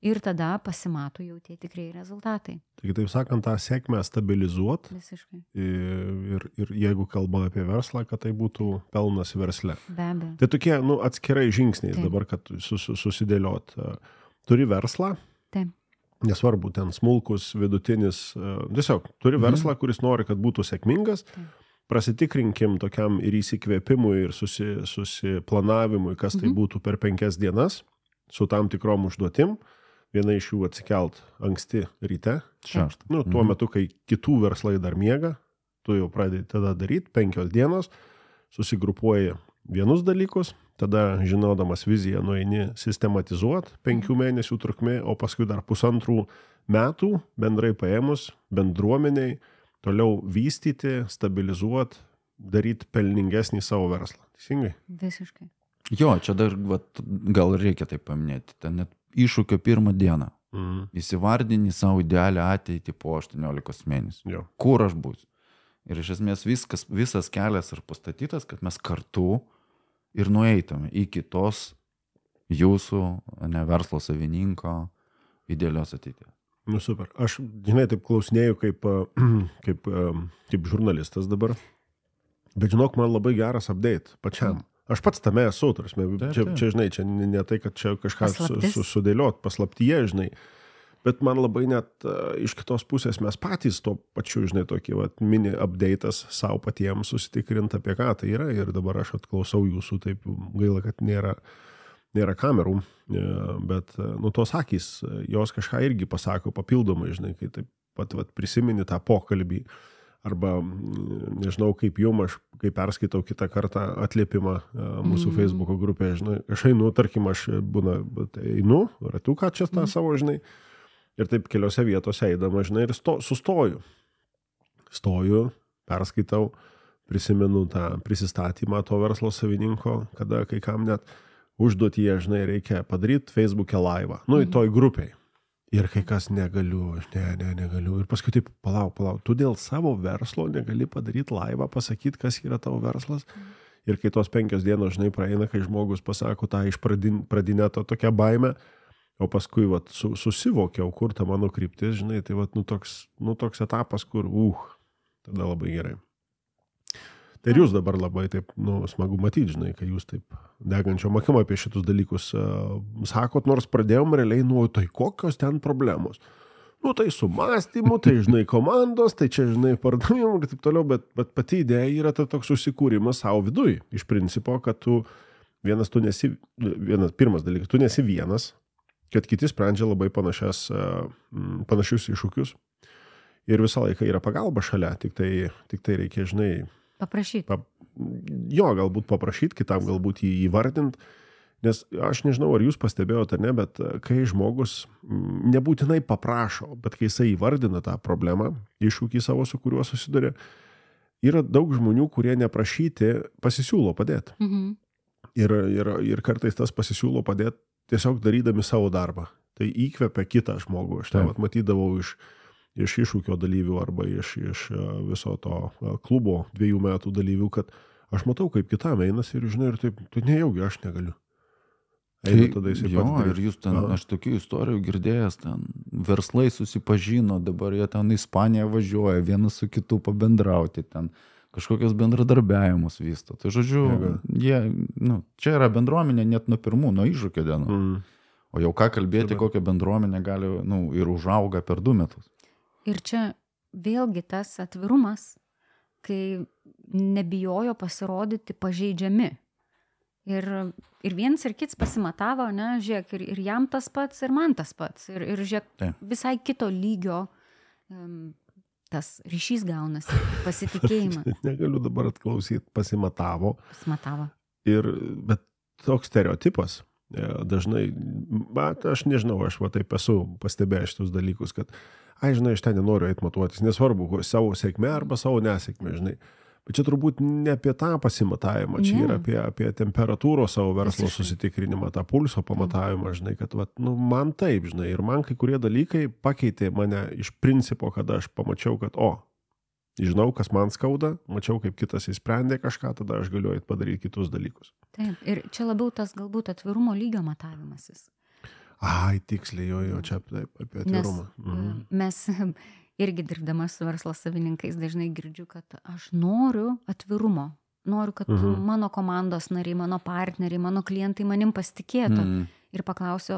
ir tada pasimato jau tie tikrai rezultatai. Taigi, taip sakant, tą sėkmę stabilizuot. Visiškai. Ir, ir jeigu kalbame apie verslą, kad tai būtų pelnas versle. Be abejo. Tai tokie, nu, atskirai žingsniai Taip. Dabar, kad sus, susidėliot. Turi verslą. Taip. Nesvarbu, ten smulkus, vidutinis. Tiesiog, turi mhm. verslą, kuris nori, kad būtų sėkmingas. Taip. Prasitikrinkim tokiam ir įsikvėpimui, ir susi, susiplanavimui, kas mhm. tai būtų per penkias dienas, su tam tikrom užduotim. Viena iš jų atsikelt anksti ryte. Šeštą. Nu, tuo metu, kai kitų verslai dar miega, tu jau pradedi tada daryti penkios dienos, susigrupuoji vienus dalykus, tada žinodamas viziją nueini sistematizuot penkių mėnesių trukmė, o paskui dar pusantrų metų bendrai paėmus bendruomeniai toliau vystyti, stabilizuot, daryti pelningesnį savo verslą. Teisingai? Visiškai. Jo, čia dar vat, gal reikia tai paminėti. Ten net iššūkio pirmą dieną. Mhm. Įsivardini savo idealią ateitį po aštuoniolikos mėnesių. Jo. Kur aš būsiu? Ir iš esmės viskas, visas kelias ir pastatytas, kad mes kartu ir nueitume iki tos jūsų, ne verslo savininko idealios ateities. Nu super. Aš, žinai, taip klausinėjau kaip, kaip, kaip žurnalistas dabar. Bet žinok, man labai geras update pačiam. Mm. Aš pats tame esu, tarsi, čia, čia, žinai, čia ne tai, kad čia kažką su, su, sudėliot, paslaptyje, žinai, bet man labai net uh, iš kitos pusės mes patys to pačiu, žinai, tokį vat, mini update'as savo patiems susitikrint apie ką tai yra ir dabar aš atklausau jūsų, taip gaila, kad nėra, nėra kamerų, bet, nu, tos akys, jos kažką irgi pasako papildomai, žinai, kai taip pat vat, prisimeni tą pokalbį. Arba, nežinau, kaip jum, aš, kai perskaitau kitą kartą atliepimą mūsų mm. Facebook'o grupėje, žinai, aš einu, tarkim, aš būna, einu, ratuką čia tą mm. savo, žinai, ir taip keliose vietose eidama, žinai, ir sto, sustoju. Stoju, perskaitau, prisimenu tą prisistatymą to verslo savininko, kada kai kam net užduotyje, žinai, reikia padaryti Facebook'e live'ą, nu, mm. į toj grupiai. Ir kai kas negaliu, aš ne, ne, negaliu. Ir paskui taip, palauk, palauk, tu dėl savo verslo negali padaryti laivą, pasakyti, kas yra tavo verslas. Mm. Ir kai tos penkios dienos, žinai, praeina, kai žmogus pasako tą iš pradin, pradinę to tokią baimę, o paskui, vat, su, susivokiau, kur ta mano kryptis, žinai, tai, vat, nu, toks, nu, toks etapas, kur, uh, tada labai gerai. Tai ir jūs dabar labai taip, nu, smagu matyti, žinai, kai jūs taip degančio mokymo apie šitus dalykus uh, sakot, nors pradėjom realiai nuo tai kokios ten problemos. Nu, tai su mąstymu, tai, žinai, komandos, tai čia, žinai, pardavimu ir taip toliau, bet, bet pati idėja yra ta toks susikūrimas savo viduj. Iš principo, kad tu vienas, tu nesi, vienas, pirmas dalykas, tu nesi vienas, kad kiti sprendžia labai panašias, panašius iššūkius. Ir visą laiką yra pagalba šalia, tik tai, tik tai reikia, žinai... Paprašyti. Pa, jo, galbūt paprašyti, kitam galbūt jį įvardinti. Nes aš nežinau, ar jūs pastebėjote, ar ne, bet kai žmogus nebūtinai paprašo, bet kai jisai įvardina tą problemą, iššūkį savo, su kuriuo susiduria, yra daug žmonių, kurie neprašyti pasisiūlo padėti. Mhm. Ir, ir, ir kartais tas pasisiūlo padėti tiesiog darydami savo darbą. Tai įkvepia kitą žmogų. Aš tą matydavau iš, iš iššūkio dalyvių arba iš, iš viso to klubo dviejų metų dalyvių, kad aš matau, kaip kitam einas ir žinai, ir taip, tu nejaugi, aš negaliu. Tai, jo, ir jūs ten, Aha. aš tokių istorijų girdėjęs, ten verslai susipažino, dabar jie ten į Ispaniją važiuoja, vienas su kitu pabendrauti, ten kažkokios bendradarbiavimus vysto. Tai žodžiu, Jėga. jie, nu, čia yra bendruomenė net nuo pirmų, nuo iššūkio dienų. Mm. O jau ką kalbėti, Taip. kokią bendruomenę gali, nu, ir užauga per du metus. Ir čia vėlgi tas atvirumas, kai nebijojo pasirodyti pažeidžiami. Ir, ir vienas ir kits pasimatavo, ne, žiūrėk, ir, ir jam tas pats, ir man tas pats. Ir, ir žiūrėk, tai. visai kito lygio um, tas ryšys gaunasi, pasitikėjimą. Negaliu dabar atklausyti, pasimatavo. Pasimatavo. Ir, bet toks stereotipas, dažnai, bet aš nežinau, aš va taip esu pastebėjęs šitus dalykus, kad, ai, žinai, aš ten nenoriu eit matuotis, nesvarbu, savo sėkmę arba savo nesėkmę, žinai. Bet čia turbūt ne apie tą pasimatavimą, čia ne. yra apie, apie temperatūros savo verslo Visiškai. susitikrinimą, tą pulso pamatavimą, žinai, kad vat, nu, man taip, žinai, ir man kai kurie dalykai pakeitė mane iš principo, kada aš pamačiau, kad, o, žinau, kas man skauda, mačiau, kaip kitas įsprendė kažką, tada aš galiu eit padaryti kitus dalykus. Taip, ir čia labiau tas galbūt atvirumo lygio matavimasis. Ai, tiksliai, jo, jo, čia taip, apie atvirumą. Nes mhm. mes... Irgi dirbdamas su verslo savininkais dažnai girdžiu, kad aš noriu atvirumo. Noriu, kad uh-huh. mano komandos nariai, mano partneriai, mano klientai manim pasitikėtų. Uh-huh. Ir paklausiu,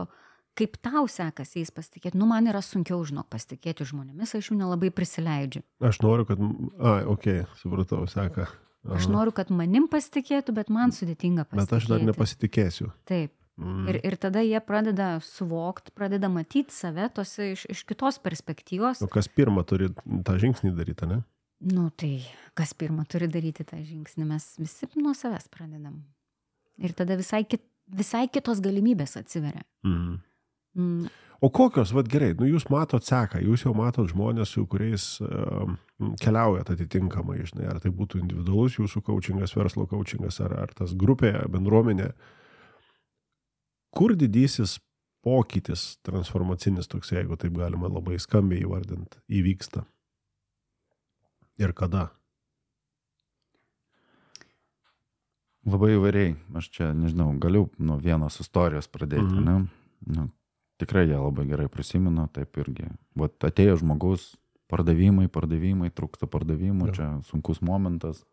kaip tau sekasi jais pasitikėti. Nu, man yra sunkiau, žinok, pasitikėti žmonėmis, aš jų nelabai prisileidžiu. Aš noriu, kad... Ai, okei, okay, supratau, seka. Aha. Aš noriu, kad manim pasitikėtų, bet man sudėtinga pasitikėti. Bet aš dar nepasitikėsiu. Taip. Mm. Ir, ir tada jie pradeda suvokti, pradeda matyti save tose iš, iš kitos perspektyvos. O kas pirmą turi tą žingsnį daryti, ne? Nu, tai kas pirmą turi daryti tą žingsnį, mes visi nuo savęs pradedam. Ir tada visai, kit, visai kitos galimybės atsiveria. Mm. Mm. O kokios, vat gerai, nu jūs matot seką, jūs jau matot žmonės, su kuriais uh, keliaujat atitinkamai, žinai, ar tai būtų individualus jūsų coachingas, verslo coachingas, ar, ar tas grupė, bendruomenė. Kur didysis pokytis transformacinis toks, jeigu taip galima labai skambiai įvardinti, įvyksta? Ir kada? Labai įvairiai. Aš čia, nežinau, galiu nuo vienos istorijos pradėti, mm-hmm. ne? Nu, tikrai ją labai gerai prisimenu, taip irgi. Vat atėjo žmogus, pardavimai, pardavimai, trūksta pardavimų, ja. Čia sunkus momentas.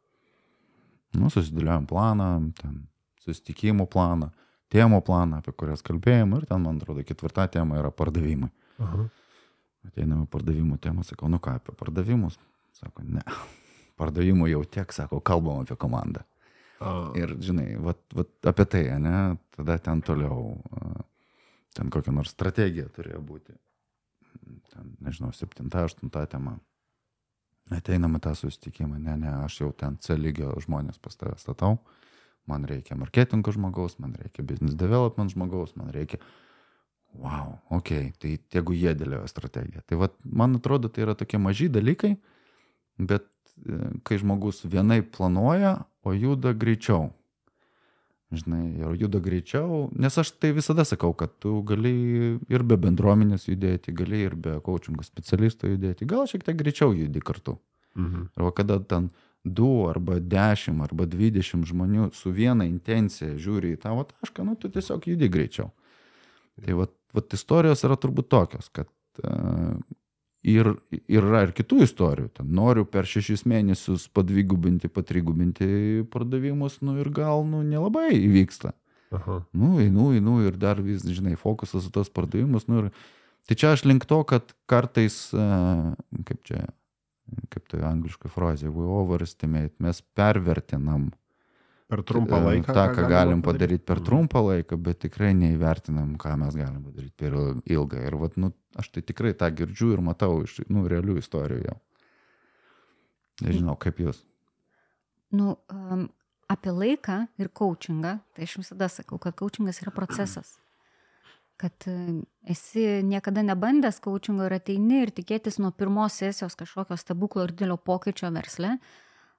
Nu, susidėliojom planą, ten susitikimų planą. Temų planą, apie kurias kalbėjom, ir ten, man atrodo, ketvirta tema yra pardavimai. Aha. Ateiname pardavimų temą, sakau, nu ką, apie pardavimus? Sako, ne, pardavimų jau tiek, sako, kalbam apie komandą. A. Ir, žinai, vat, vat apie tai, ne, tada ten toliau, ten kokia nors strategija turėjo būti. Ten, nežinau, septinta, aštunta tema. Ateiname tą susitikimą, ne, ne, aš jau ten C lygio žmonės pas tave statau. Man reikia marketingo žmogaus, man reikia business development žmogaus, man reikia, wow, okei, okay, tai tegu jie dėlioja strategiją. Tai vat, man atrodo, tai yra tokie maži dalykai, bet kai žmogus vienai planuoja, o juda greičiau. Žinai, ir juda greičiau, nes aš tai visada sakau, kad tu gali ir be bendruomenės judėti, gali ir be coachingo specialisto judėti, gal šiek tiek greičiau judi kartu. Mhm. Arba kada ten du arba dešimt arba dvidešimt žmonių su viena intencija žiūri į tavo tašką, nu tu tiesiog judi greičiau. Tai vat, vat istorijos yra turbūt tokios, kad uh, ir, ir yra ir kitų istorijų. Ten noriu per šešis mėnesius padvigubinti, patrigubinti pardavimus, nu ir gal, nu, nelabai įvyksta. Aha. Nu, einu, einu ir dar vis, žinai, fokusas į tos pardavimus, nu ir tai čia aš link to, kad kartais, kaip čia, kaip tai angliška frazė, we overestimate, mes pervertinam Per trumpą laiką. tą, ką galim padaryti per trumpą laiką, bet tikrai neįvertinam, ką mes galim padaryti per ilgą. Ir vat, nu, aš tai tikrai tą girdžiu ir matau iš, nu, realių istorijų jau. Nežinau, kaip jūs. Nu, um, apie laiką ir coachingą, tai aš visada sakau, kad coachingas yra procesas. Kad esi niekada nebandęs coachingo ir ateini ir tikėtis nuo pirmos sesijos kažkokio stebuklo ir didelio pokyčio versle.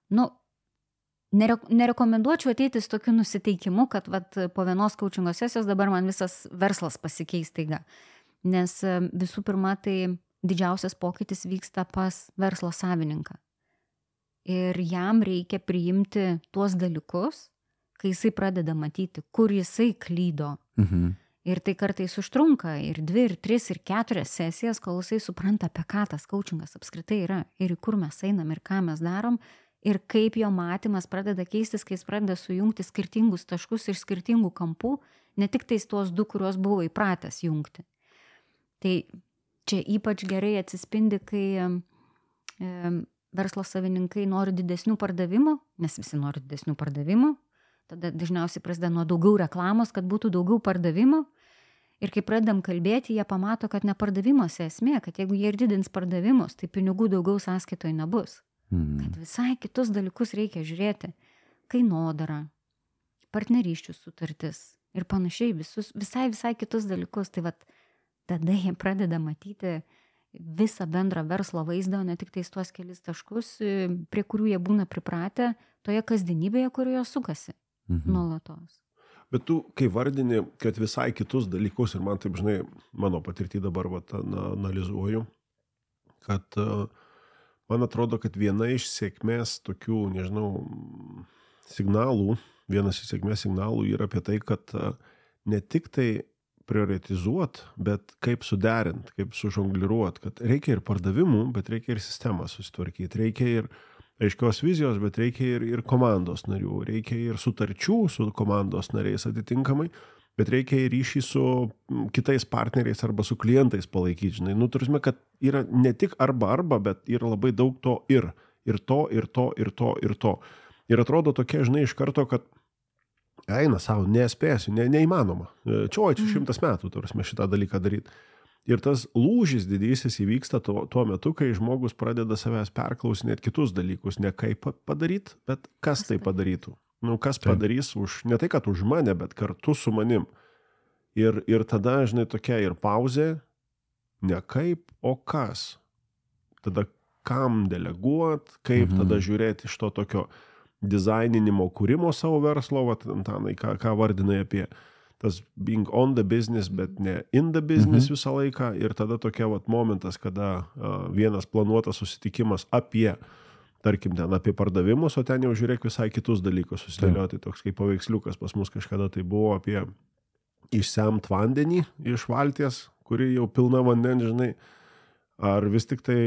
Nu, nere, nerekomenduočiau ateiti su tokiu nusiteikimu, kad vat, po vienos coachingo sesijos dabar man visas verslas pasikeis taiga. Nes visų pirma, tai didžiausias pokytis vyksta pas verslo savininką. Ir jam reikia priimti tuos dalykus, kai jisai pradeda matyti, kur jisai klydo. Mhm. Ir tai kartais užtrunka ir dvi, ir tris, ir keturias sesijas, kol jisai supranta, apie ką tas coachingas apskritai yra, ir į kur mes einam, ir ką mes darom, ir kaip jo matymas pradeda keistis, kai jis pradeda sujungti skirtingus taškus iš skirtingų kampų, ne tik tais tuos du, kuriuos buvo įpratęs jungti. Tai čia ypač gerai atsispindi, kai e, verslo savininkai nori didesnių pardavimų, nes visi nori didesnių pardavimų, tada dažniausiai prasideda nuo daugiau reklamos, kad būtų daugiau pardavimų. Ir kai pradedam kalbėti, jie pamato, kad ne pardavimuose esmė, kad jeigu jie ir didins pardavimus, tai pinigų daugiau sąskaitoje nebus. Mhm. Kad visai kitus dalykus reikia žiūrėti. Kainodara, partnerysčių sutartis ir panašiai, visus, visai, visai kitus dalykus. Tai vat, tada jie pradeda matyti visą bendrą verslo vaizdą, o ne tik tais tuos kelis taškus, prie kurių jie būna pripratę toje kasdienybėje, kurioje sukasi. Mhm. Nuolatos. Bet tu, kai vardini, kad visai kitus dalykus, ir man taip, žinai, mano patirtį dabar vat, na, analizuoju, kad uh, man atrodo, kad viena iš sėkmės tokių, nežinau, signalų, vienas iš sėkmės signalų yra apie tai, kad uh, ne tik tai prioritizuot, bet kaip suderint, kaip sužongliruot, kad reikia ir pardavimų, bet reikia ir sistemą susitvarkyti, reikia ir aiškios vizijos, bet reikia ir, ir komandos narių, reikia ir sutarčių su komandos nariais atitinkamai, bet reikia ir ryšį su kitais partneriais arba su klientais palaikyti. Žinai, nu, turime, kad yra ne tik arba arba, bet yra labai daug to ir. Ir to, ir to, ir to, ir to. Ir atrodo tokia, žinai, iš karto, kad eina savo, nespėsiu, ne, neįmanoma. Čia, oi, čia šimtas metų, turime šitą dalyką daryti. Ir tas lūžis didysis įvyksta tuo, tuo metu, kai žmogus pradeda savęs perklausinėti kitus dalykus, ne kaip padaryti, bet kas tai padarytų. Nu, kas padarys už, ne tai, kad už mane, bet kartu su manim. Ir, ir tada, žinai, tokia ir pauzė, ne kaip, o kas. Tada kam deleguot, kaip mhm. tada žiūrėti iš to tokio dizaininimo, kūrimo savo verslo, vat, Antanai, ką, ką vardinai apie tas being on the business, bet ne in the business mhm. visą laiką. Ir tada tokia vat momentas, kada uh, vienas planuotas susitikimas apie, tarkim, ten apie pardavimus, o ten jau žiūrėk visai kitus dalykus susidėlioti. Toks kaip paveiksliukas pas mus kažkada tai buvo apie išsemt vandenį iš valties, kuri jau pilna vandens, žinai, ar vis tik tai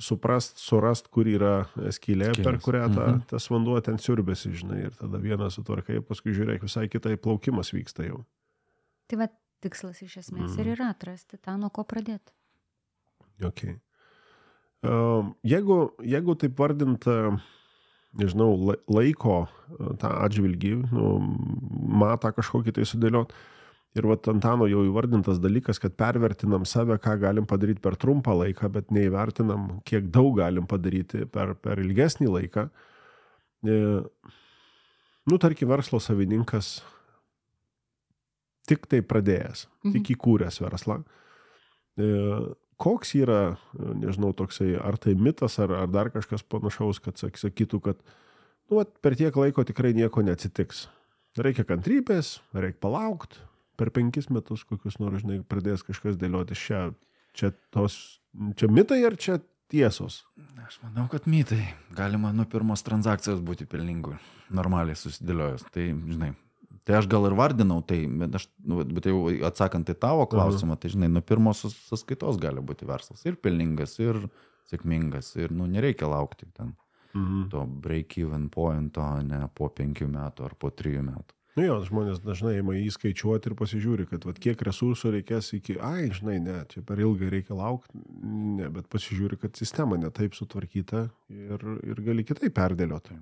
suprast, surast, kur yra skylė, Skylės. Per kurią ta, mhm. tas vanduo ten siurbėsi, žinai, ir tada vieną sutvarkai, paskui žiūrėk, visai kitai plaukimas vyksta jau. Tai va, tikslas iš esmės mm. ir yra atrasti tą, nuo ko pradėti. Okay. Uh, jeigu, jeigu taip vardint, uh, nežinau, laiko uh, tą atžvilgį, nu, matą kažkokį tai sudėliot, ir va, Antano jau įvardintas dalykas, kad pervertinam save, ką galim padaryti per trumpą laiką, bet neįvertinam, kiek daug galim padaryti per, per ilgesnį laiką. E, nu, tarkim, verslo savininkas tik tai pradėjęs, mhm. tik įkūręs verslą. E, koks yra, nežinau, toksai, ar tai mitas, ar, ar dar kažkas panašaus, kad sakytų, kad nu, va, per tiek laiko tikrai nieko neatsitiks. Reikia kantrybės, reikia palaukti. Per penkis metus kokius nors, žinai, pradės kažkas dėlioti. Čia, čia, tos, čia mitai ar čia tiesos? Aš manau, kad mitai. Galima nuo pirmos transakcijos būti pelningu, normaliai susidėliojus. Tai, žinai, Tai aš gal ir vardinau tai, bet, aš, bet jau atsakant į tavo klausimą, tai žinai, nuo pirmos sąskaitos gali būti verslas ir pelningas, ir sėkmingas, ir nu, nereikia laukti ten mhm. to break-even pointo, ne po penkių metų ar po trijų metų. Nu jo, žmonės dažnai ima įskaičiuoti ir pasižiūri, kad vat, kiek resursų reikės iki, ai, žinai, ne, čia per ilgai reikia laukti, ne, bet pasižiūri, kad sistema netaip sutvarkyta ir, ir gali kitaip perdėlioti.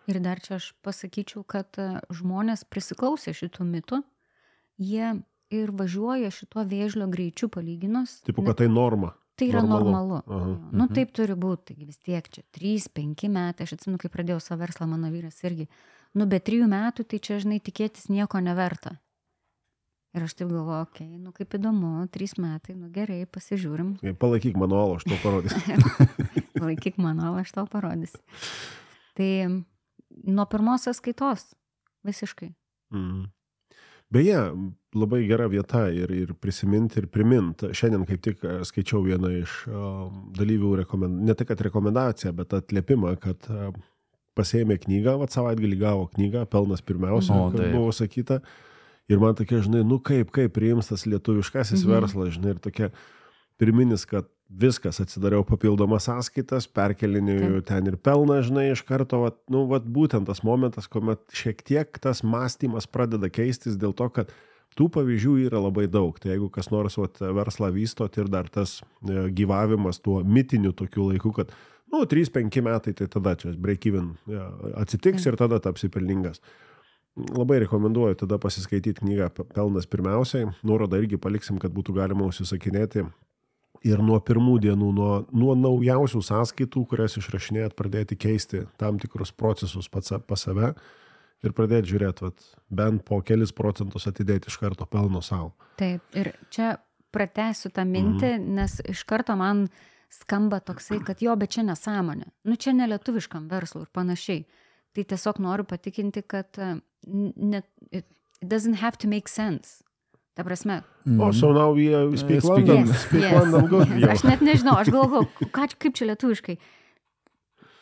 Ir dar čia aš pasakyčiau, kad žmonės prisiklausė šitų mitų, jie ir važiuoja šituo vėžlio greičiu palyginus. Taip, kad tai norma. Tai yra normalu. normalu. Nu, taip turi būti, taigi vis tiek čia trys penki metai, aš atsimenu, kai pradėjau savo verslą, mano vyras irgi, nu, be trijų metų, tai čia, žinai, tikėtis nieko neverta. Ir aš taip galvoju, okei, okay, nu, kaip įdomu, trys metai, nu, gerai, pasižiūrim. Palaikyk manualą, aš tau parodysiu. Palaikyk manualą, aš tau parodysiu. Tai nuo pirmos sąskaitos, visiškai. Mm. Beje, labai gera vieta ir, ir prisiminti ir priminti. Šiandien kaip tik skaičiau vieną iš uh, dalyvių, rekomend... ne tik kad rekomendaciją, bet atliepimą, kad uh, pasėmė knygą, vat savaitgalį gavo knygą, pelnas pirmiausia, o, kad buvo sakyta. Ir man tokia, žinai, nu kaip, kaip priims tas lietuviškasis mhm. verslas, žinai, ir tokia pirminis, kad viskas, atsidariau papildomas sąskaitas, perkelinėjau ten ir pelną, žinai, iš karto, vat, nu, vat būtent tas momentas, kuomet šiek tiek tas mąstymas pradeda keistis dėl to, kad tų pavyzdžių yra labai daug. Tai jeigu kas nors vat, verslą vystot ir dar tas e, gyvavimas tuo mitiniu tokiu laiku, kad nu, trys penki metai, tai tada čia break-even ja, atsitiks ir tada tapsi pelningas. Labai rekomenduoju tada pasiskaityti knygą Pelnas pirmiausiai. Nuorodą irgi paliksim, kad būtų galima užsisakinėti. Ir nuo pirmų dienų, nuo, nuo naujausių sąskaitų, kurias išrašinėjat, pradėti keisti tam tikrus procesus pats pas save ir pradėti žiūrėti, vat, bent po kelis procentus atidėti iš karto pelno savo. Taip, ir čia pratęsiu tą mintį, mm. nes iš karto man skamba toksai, kad jo, bet čia nesąmonė. Nu, čia ne lietuviškam verslui ir panašiai. Tai tiesiog noriu patikinti, kad ne, it doesn't have to make sense. Ta prasme. Mm. Oh, so now we uh, speak London. Yes, speak yes, London good. Yes. Aš net nežinau, aš galvoju, kaip čia lietuviškai.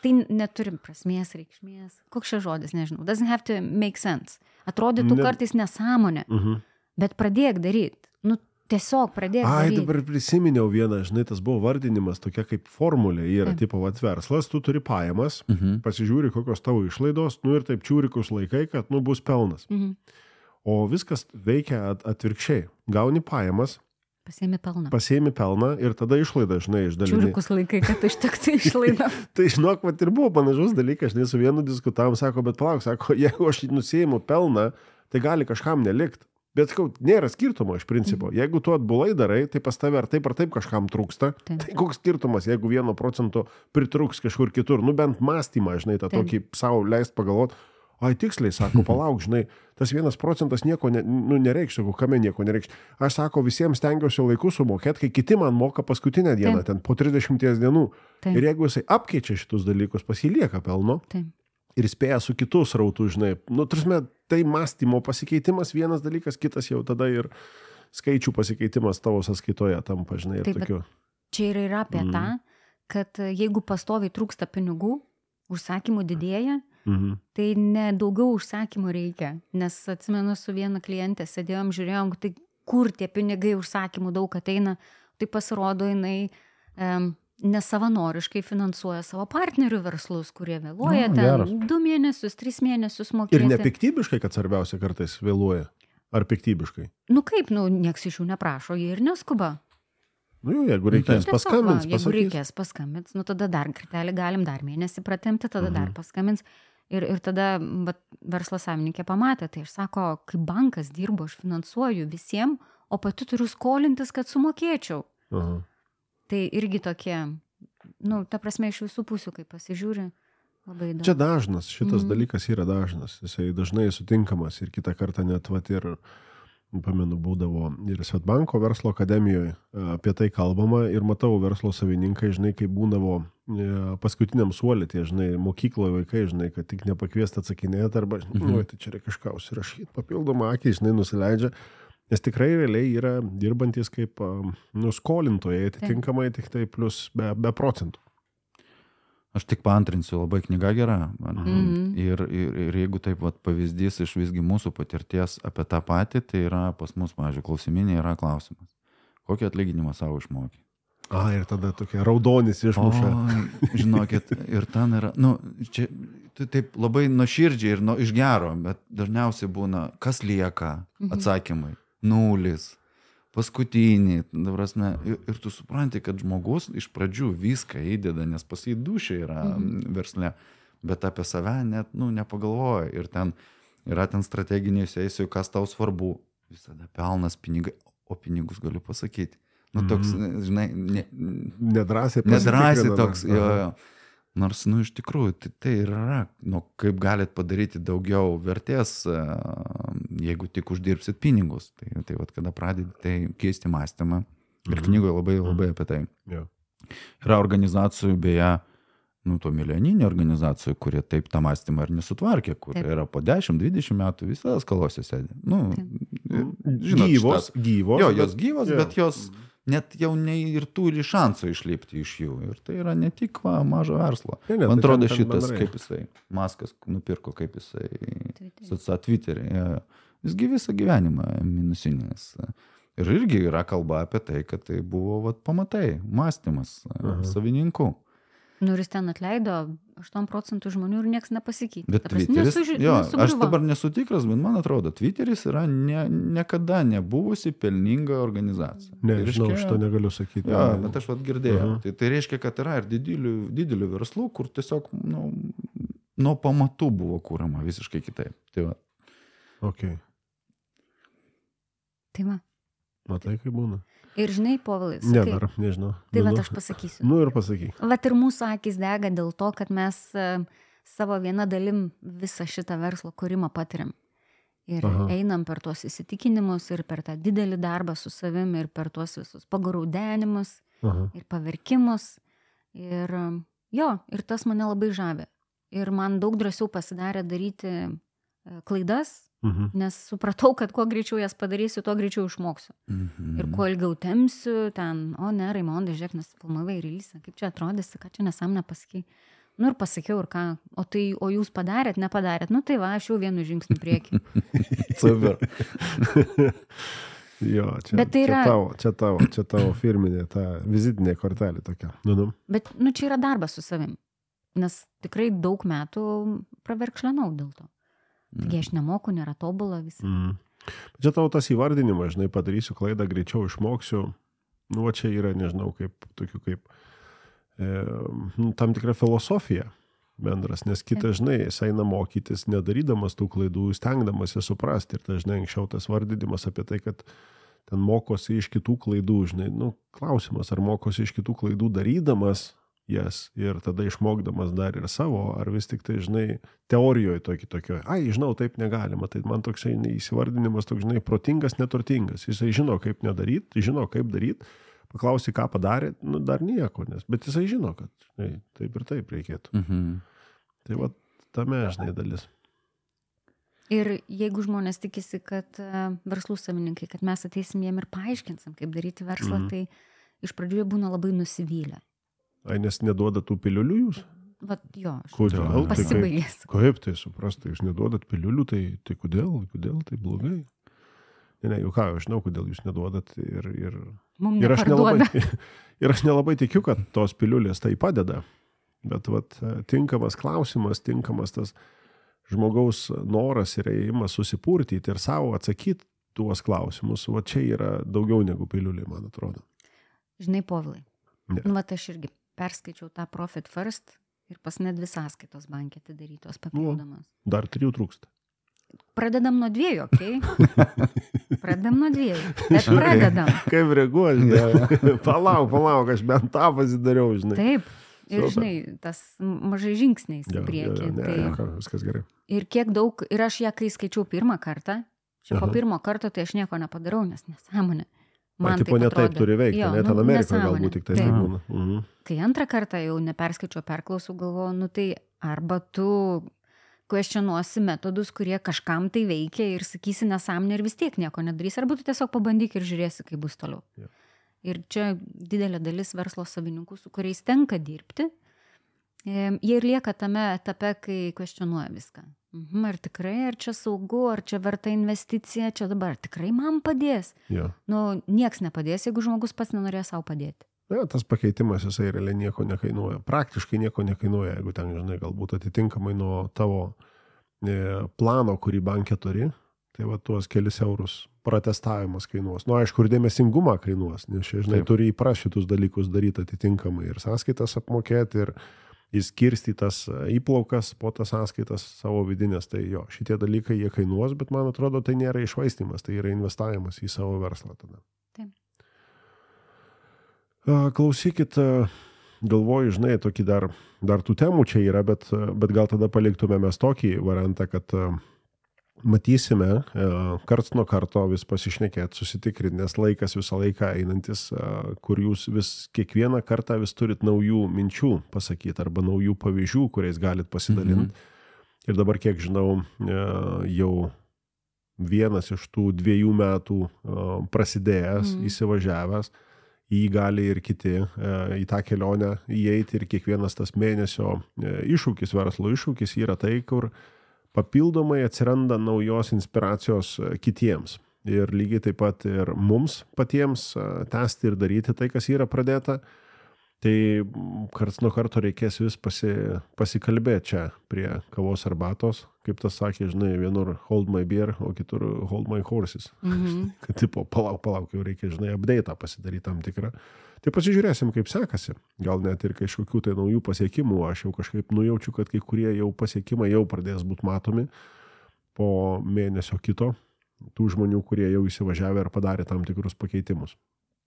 Tai neturim prasmės, reikšmės. Koks čia žodis, nežinau. Doesn't have to make sense. Atrodytų ne... kartais nesąmonė, uh-huh. bet pradėk daryti. Nu, tiesiog pradėk Ai, daryti. Ai, dabar prisiminiau vieną, žinai, tas buvo vardinimas, tokia kaip formulė. Yra, taip. Tipo, vat, verslas, tu turi pajamas, uh-huh. pasižiūri, kokios tavo išlaidos, nu ir taip čiūrikus laikai, kad, nu, bus pelnas. Uh-huh. O viskas veikia atvirkščiai. Gauni pajamas, pasiemi pelną. Pasiemi pelną ir tada išlaidą, žinai, išdalini. Čiūrikus laikai, kad ištektų išlaidą. Tai žinok, vat ir buvo panašus dalykas, žinai, su vienu diskutavom, sako, bet palauk, sako, jeigu aš nusėjimu pelną, tai gali kažkam nelikti. Bet, sakau, nėra skirtumo iš principo. Mm. Jeigu tu atbulai darai, tai pas tave ar taip ar taip kažkam trūksta. Taip. Tai koks skirtumas, jeigu vieno procento pritrūks kažkur kitur. Nu, bent mąstymą, žinai, tą taip. Tokį savo leist pagalvoti. Ai, tiksliai, sako, palauk, žinai, tas vienas procentas nieko ne, nu, nereikš, sako, kame nieko nereikš. Aš, sako, visiems stengiausi laiku sumokėti, kai kiti man moka paskutinę dieną, Taip. Ten po trisdešimties dienų. Taip. Ir jeigu jisai apkeičia šitus dalykus, pasilieka pelno Taip. Ir spėja su kitus rautų, žinai, nu, tarsi, tai mąstymo pasikeitimas vienas dalykas, kitas jau tada ir skaičių pasikeitimas tavo sąskaitoje tampa, žinai, ir Taip, tokiu. Čia ir yra apie mm. tą, kad jeigu pastoviai trūksta pinigų, užsakymų didėja, Mhm. tai ne daugiau užsakymų reikia, nes atsimenu su viena klientė sėdėjom, žiūrėjom, tai kur tie pinigai užsakymų daug ateina, tai pasirodo jinai um, nesavanoriškai finansuoja savo partnerių verslus, kurie vėluoja no, ten geras. du mėnesius, tris mėnesius mokėti. Ir nepiktybiškai, kad svarbiausia kartais vėluoja, ar piktybiškai? Nu kaip, nu nieks iš jų neprašo, jie ir neskuba. Nu, jeigu reikės Tiesiog, paskambins, va, jeigu pasakys. reikės paskambins, nu tada dar kartelį galim dar mėnesį pratemti, tada mhm. dar paskambins. Ir, ir tada vat, verslo savininkė pamatė, tai aš sako, kaip bankas dirbo, aš finansuoju visiems, o pati turiu skolintis, kad sumokėčiau. Aha. Tai irgi tokie, nu, ta prasme iš visų pusių, kai pasižiūri, labai daug. Čia dažnas, šitas Mhm. dalykas yra dažnas, jisai dažnai sutinkamas ir kitą kartą net vat ir pamenu, būdavo ir Svetbanko verslo akademijoje apie tai kalbama ir matau verslo savininkai, žinai, kaip būdavo paskutiniam suolį, tie, žinai, mokykloje vaikai, žinai, kad tik nepakviesti atsakinėti arba, mhm. nu, tai čia reikia kažką užsirašyti, papildomą akį, žinai, nusileidžia, nes tikrai realiai yra dirbantis kaip nu, skolintojai, atitinkamai tik tai plus be, be procentų. Aš tik paantrinsiu, labai knyga gera. Mhm. Ir, ir, ir jeigu taip vat, pavyzdys iš visgi mūsų patirties apie tą patį, tai yra pas mus, pavyzdžiui, klausiminė yra klausimas. Kokį atlyginimą savo išmokė? A, ir tada tokia raudonis išmuša. O, žinokit, ir ten yra, nu, čia tai taip labai nuoširdžiai ir nu, iš gero, bet dažniausiai būna, kas lieka atsakymai. Nulis. Paskutinį, prasme, ir, ir tu supranti, kad žmogus iš pradžių viską įdeda, nes pas jį dušė yra mhm. versle, bet apie save net, nu, nepagalvoja. Ir ten yra ten strateginiai sesijų, kas tau svarbu. Visada pelnas, pinigai, o pinigus galiu pasakyti. Nu, toks, mhm. žinai, ne, Nedrasiai nedrasiai toks, jo, jo. Nors, nu, iš tikrųjų, tai, tai yra, nu, kaip galit padaryti daugiau vertės, jeigu tik uždirbsit pinigus. Tai, tai vat, kada pradedi, tai keisti mąstymą. Ir knygoje labai, labai apie tai. Ja. Yra organizacijų, beje, nu, to milijoninių organizacijų, kurie taip tą mąstymą ir nesutvarkė, kur taip. Yra po dešimt dvidešimt metų visada skalose sėdė. Nu, žinot, gyvos, šitas, gyvos. jo, jos gyvos, ja. bet jos net jau ne ir turi šansų išlipti iš jų. Ir tai yra ne tik va, mažo verslo. Ne, ne, Man tai atrodo ten, ten šitas, bendrai. kaip jisai, Maskas nupirko, kaip jisai, Twitterį. su Twitterį. Ja. Jisgi visą gyvenimą minusinės. Ir irgi yra kalba apie tai, kad tai buvo vat, pamatai, mąstymas Aha. savininkų. Nu, ir jis ten atleido aštuonių procentų žmonių ir nieks nepasikeitė. Bet Ta prasme, Twitteris, nesuži- jo, aš nesugriuvo. dabar nesu tikras, bet man atrodo, Twitteris yra ne, niekada nebuvusi pelninga organizacija. Ne, Tai žinau, reiškia- šito negaliu sakyti. Jo, bet aš vat girdėjau. Aha. Tai, tai reiškia, kad yra ir didelių, didelių verslų, kur tiesiog nu, nuo pamatų buvo kūrama visiškai kitaip. Tai va. Okay. Tai va. Matai, kaip būna. Ir žinai, Povilai, Ne, sakai, dar, nežinau. tai va, Nu, aš pasakysiu. Nu ir pasakyk. Vat ir mūsų akis dega dėl to, kad mes e, savo viena dalim visą šitą verslo kūrimą patiriam. Ir Aha. einam per tuos įsitikinimus ir per tą didelį darbą su savimi ir per tuos visus pagaraudenimus Aha. ir paverkimus. Ir e, jo, ir tas mane labai žavi. Ir man daug drąsiau pasidarė daryti e, klaidas, Mhm. nes supratau, kad kuo greičiau jas padarysiu, tuo greičiau išmoksiu. Mhm. Ir kuo ilgiau temsiu, ten, o ne, Raimondai, žiūrėk, nes filmavai releasą, kaip čia atrodysi, ką čia nesąmonę pasakei. Nu ir pasakiau, ir ką, o tai, o jūs padarėt, nepadarėt, nu tai va, aš jau vienu žingsniu prieki. Super. Jo, čia, Bet tai yra- čia tavo, čia tavo, čia tavo firminė, ta vizitinė kortelė tokia. Nu, nu. Bet, nu, čia yra darbas su savim, nes tikrai daug metų praverkšlenau dėl to. Taigi aš nemoku, nėra tobula visi. Mm. Bet čia tavo tas įvardinimas, žinai, padarysiu klaidą, greičiau išmoksiu. Nu, va čia yra, nežinau, kaip, tokių kaip e, nu, tam tikra filosofija bendras, nes kitas, žinai, jis eina mokytis, nedarydamas tų klaidų, stengdamas jas suprasti. Ir tai, žinai, anksčiau tas vardinimas apie tai, kad ten mokosi iš kitų klaidų, žinai, nu, klausimas, ar mokosi iš kitų klaidų darydamas jas ir tada išmokdamas dar ir savo, ar vis tik tai, žinai, teorijoje tokį tokio, ai, žinau, taip negalima, tai man toksai įsivardinimas, toks, žinai, protingas, neturtingas, jisai žino, kaip nedaryti, žino, kaip daryti, paklausi, ką padarė, nu, dar nieko, nes, bet jisai žino, kad, žinai, taip ir taip reikėtų. Mhm. Tai va, tame, žinai, dalis. Ir jeigu žmonės tikisi, kad e, verslų savininkai, kad mes ateisim jiem ir paaiškinsim, kaip daryti verslą, Mhm. tai iš pradžių jie būna labai nusivylę. Ai, nes neduoda tų piliulių jūs? Vat jo, aš Kodėl? Tai kaip, pasibaigęs. kaip tai suprasti, jūs neduodat piliulių, tai, tai kodėl, kodėl tai blogai? Ne, ne, jau ką, aš žinau, kodėl jūs neduodat ir, ir, Mums ir, aš nelabai, neparduoda. ir aš nelabai tikiu, kad tos piliulės tai padeda. Bet vat, tinkamas klausimas, tinkamas tas žmogaus noras ir ėjimas susipurtyti ir savo atsakyti tuos klausimus, va čia yra daugiau negu piliulė, man atrodo. Žinai, Povilai, Ne. nu, vat aš irgi perskaičiau tą Profit First ir pas net dvi sąskaitos bankė atidarytos papildomas. Dar trijų trūksta. Pradedam nuo dviejų, okei? Okay? Pradedam nuo dviejų. Bet pradedam. Kaip reaguoji? Palauk, palauk, aš bent tą pasidariau, žinai. Taip. Ir Super. žinai, tas mažai žingsniais į Jo, jo, priekį. jo, ne, Tai... jo, ką, viskas gerai. Ir kiek daug, ir aš ją, kai skaičiau pirmą kartą, čia po Aha. pirmo karto, tai aš nieko nepadarau, nes nesąmonė. Man Man tipo ne taip atrodė. turi veikti, Jo, ne nu, ten Amerikoje nesąmonė. galbūt tik tai Taip. taip būna. Mhm. Kai antrą kartą jau neperskaičiau, perklausau, galvoju, nu tai arba tu kvestionuosi metodus, kurie kažkam tai veikia ir sakysi nesąmonę ir vis tiek nieko nedarys, arba tu tiesiog pabandyk ir žiūrėsi, kaip bus toliau. Jo. Ir čia didelė dalis verslo savininkų, su kuriais tenka dirbti, jie ir lieka tame etape, kai kvestionuoja viską. Mhm, ar tikrai, ar čia saugu, ar čia verta investicija, čia dabar tikrai man padės. Ja. Nu, nieks nepadės, jeigu žmogus pats nenorės savo padėti. Ja, tas pakeitimas, jisai realiai nieko nekainuoja. Praktiškai nieko nekainuoja, jeigu ten, žinai, galbūt atitinkamai nuo tavo e, plano, kurį bankė turi, tai va tuos kelis eurus pratestavimas kainuos. Nu, aišku, ir dėmesingumą kainuos, nes, žinai, Taip. turi įpras šitus dalykus daryti atitinkamai ir sąskaitas apmokėti, ir įskirstytas įplaukas po tas sąskaitas savo vidinės. Tai jo, šitie dalykai jie kainuos, bet man atrodo, tai nėra išvaistymas, tai yra investavimas į savo verslą tada. Taip. Klausykit, galvoju, žinai, tokį dar, dar tų temų čia yra, bet, bet gal tada paliktume mes tokį variantą, kad matysime karts nuo karto vis pasišnekėti, susitikrinti, nes laikas visą laiką einantis, kur jūs vis kiekvieną kartą vis turit naujų minčių pasakyti arba naujų pavyzdžių, kuriais galit pasidalinti. Mhm. Ir dabar, kiek žinau, jau vienas iš tų dviejų metų prasidėjęs, mhm. įsivažiavęs, jį gali ir kiti į tą kelionę įeiti ir kiekvienas tas mėnesio iššūkis, verslo iššūkis yra tai, kur papildomai atsiranda naujos inspiracijos kitiems. Ir lygiai taip pat ir mums patiems tęsti ir daryti tai, kas yra pradėta. Tai karts nuo karto reikės vis pasi, pasikalbėti čia prie kavos arbatos. Kaip tas sakė, žinai, vienur hold my beer, o kitur hold my horses. Mhm. Kad tipo, palauk, palauk, jau reikia, žinai, update'ą pasidaryti tam tikrą. Tai pasižiūrėsim, kaip sekasi. Gal net ir kažkokių tai naujų pasiekimų. Aš jau kažkaip nujaučiu, kad kai kurie jau pasiekimai jau pradės būti matomi po mėnesio kito. Tų žmonių, kurie jau įsivažiavę ir padarė tam tikrus pakeitimus.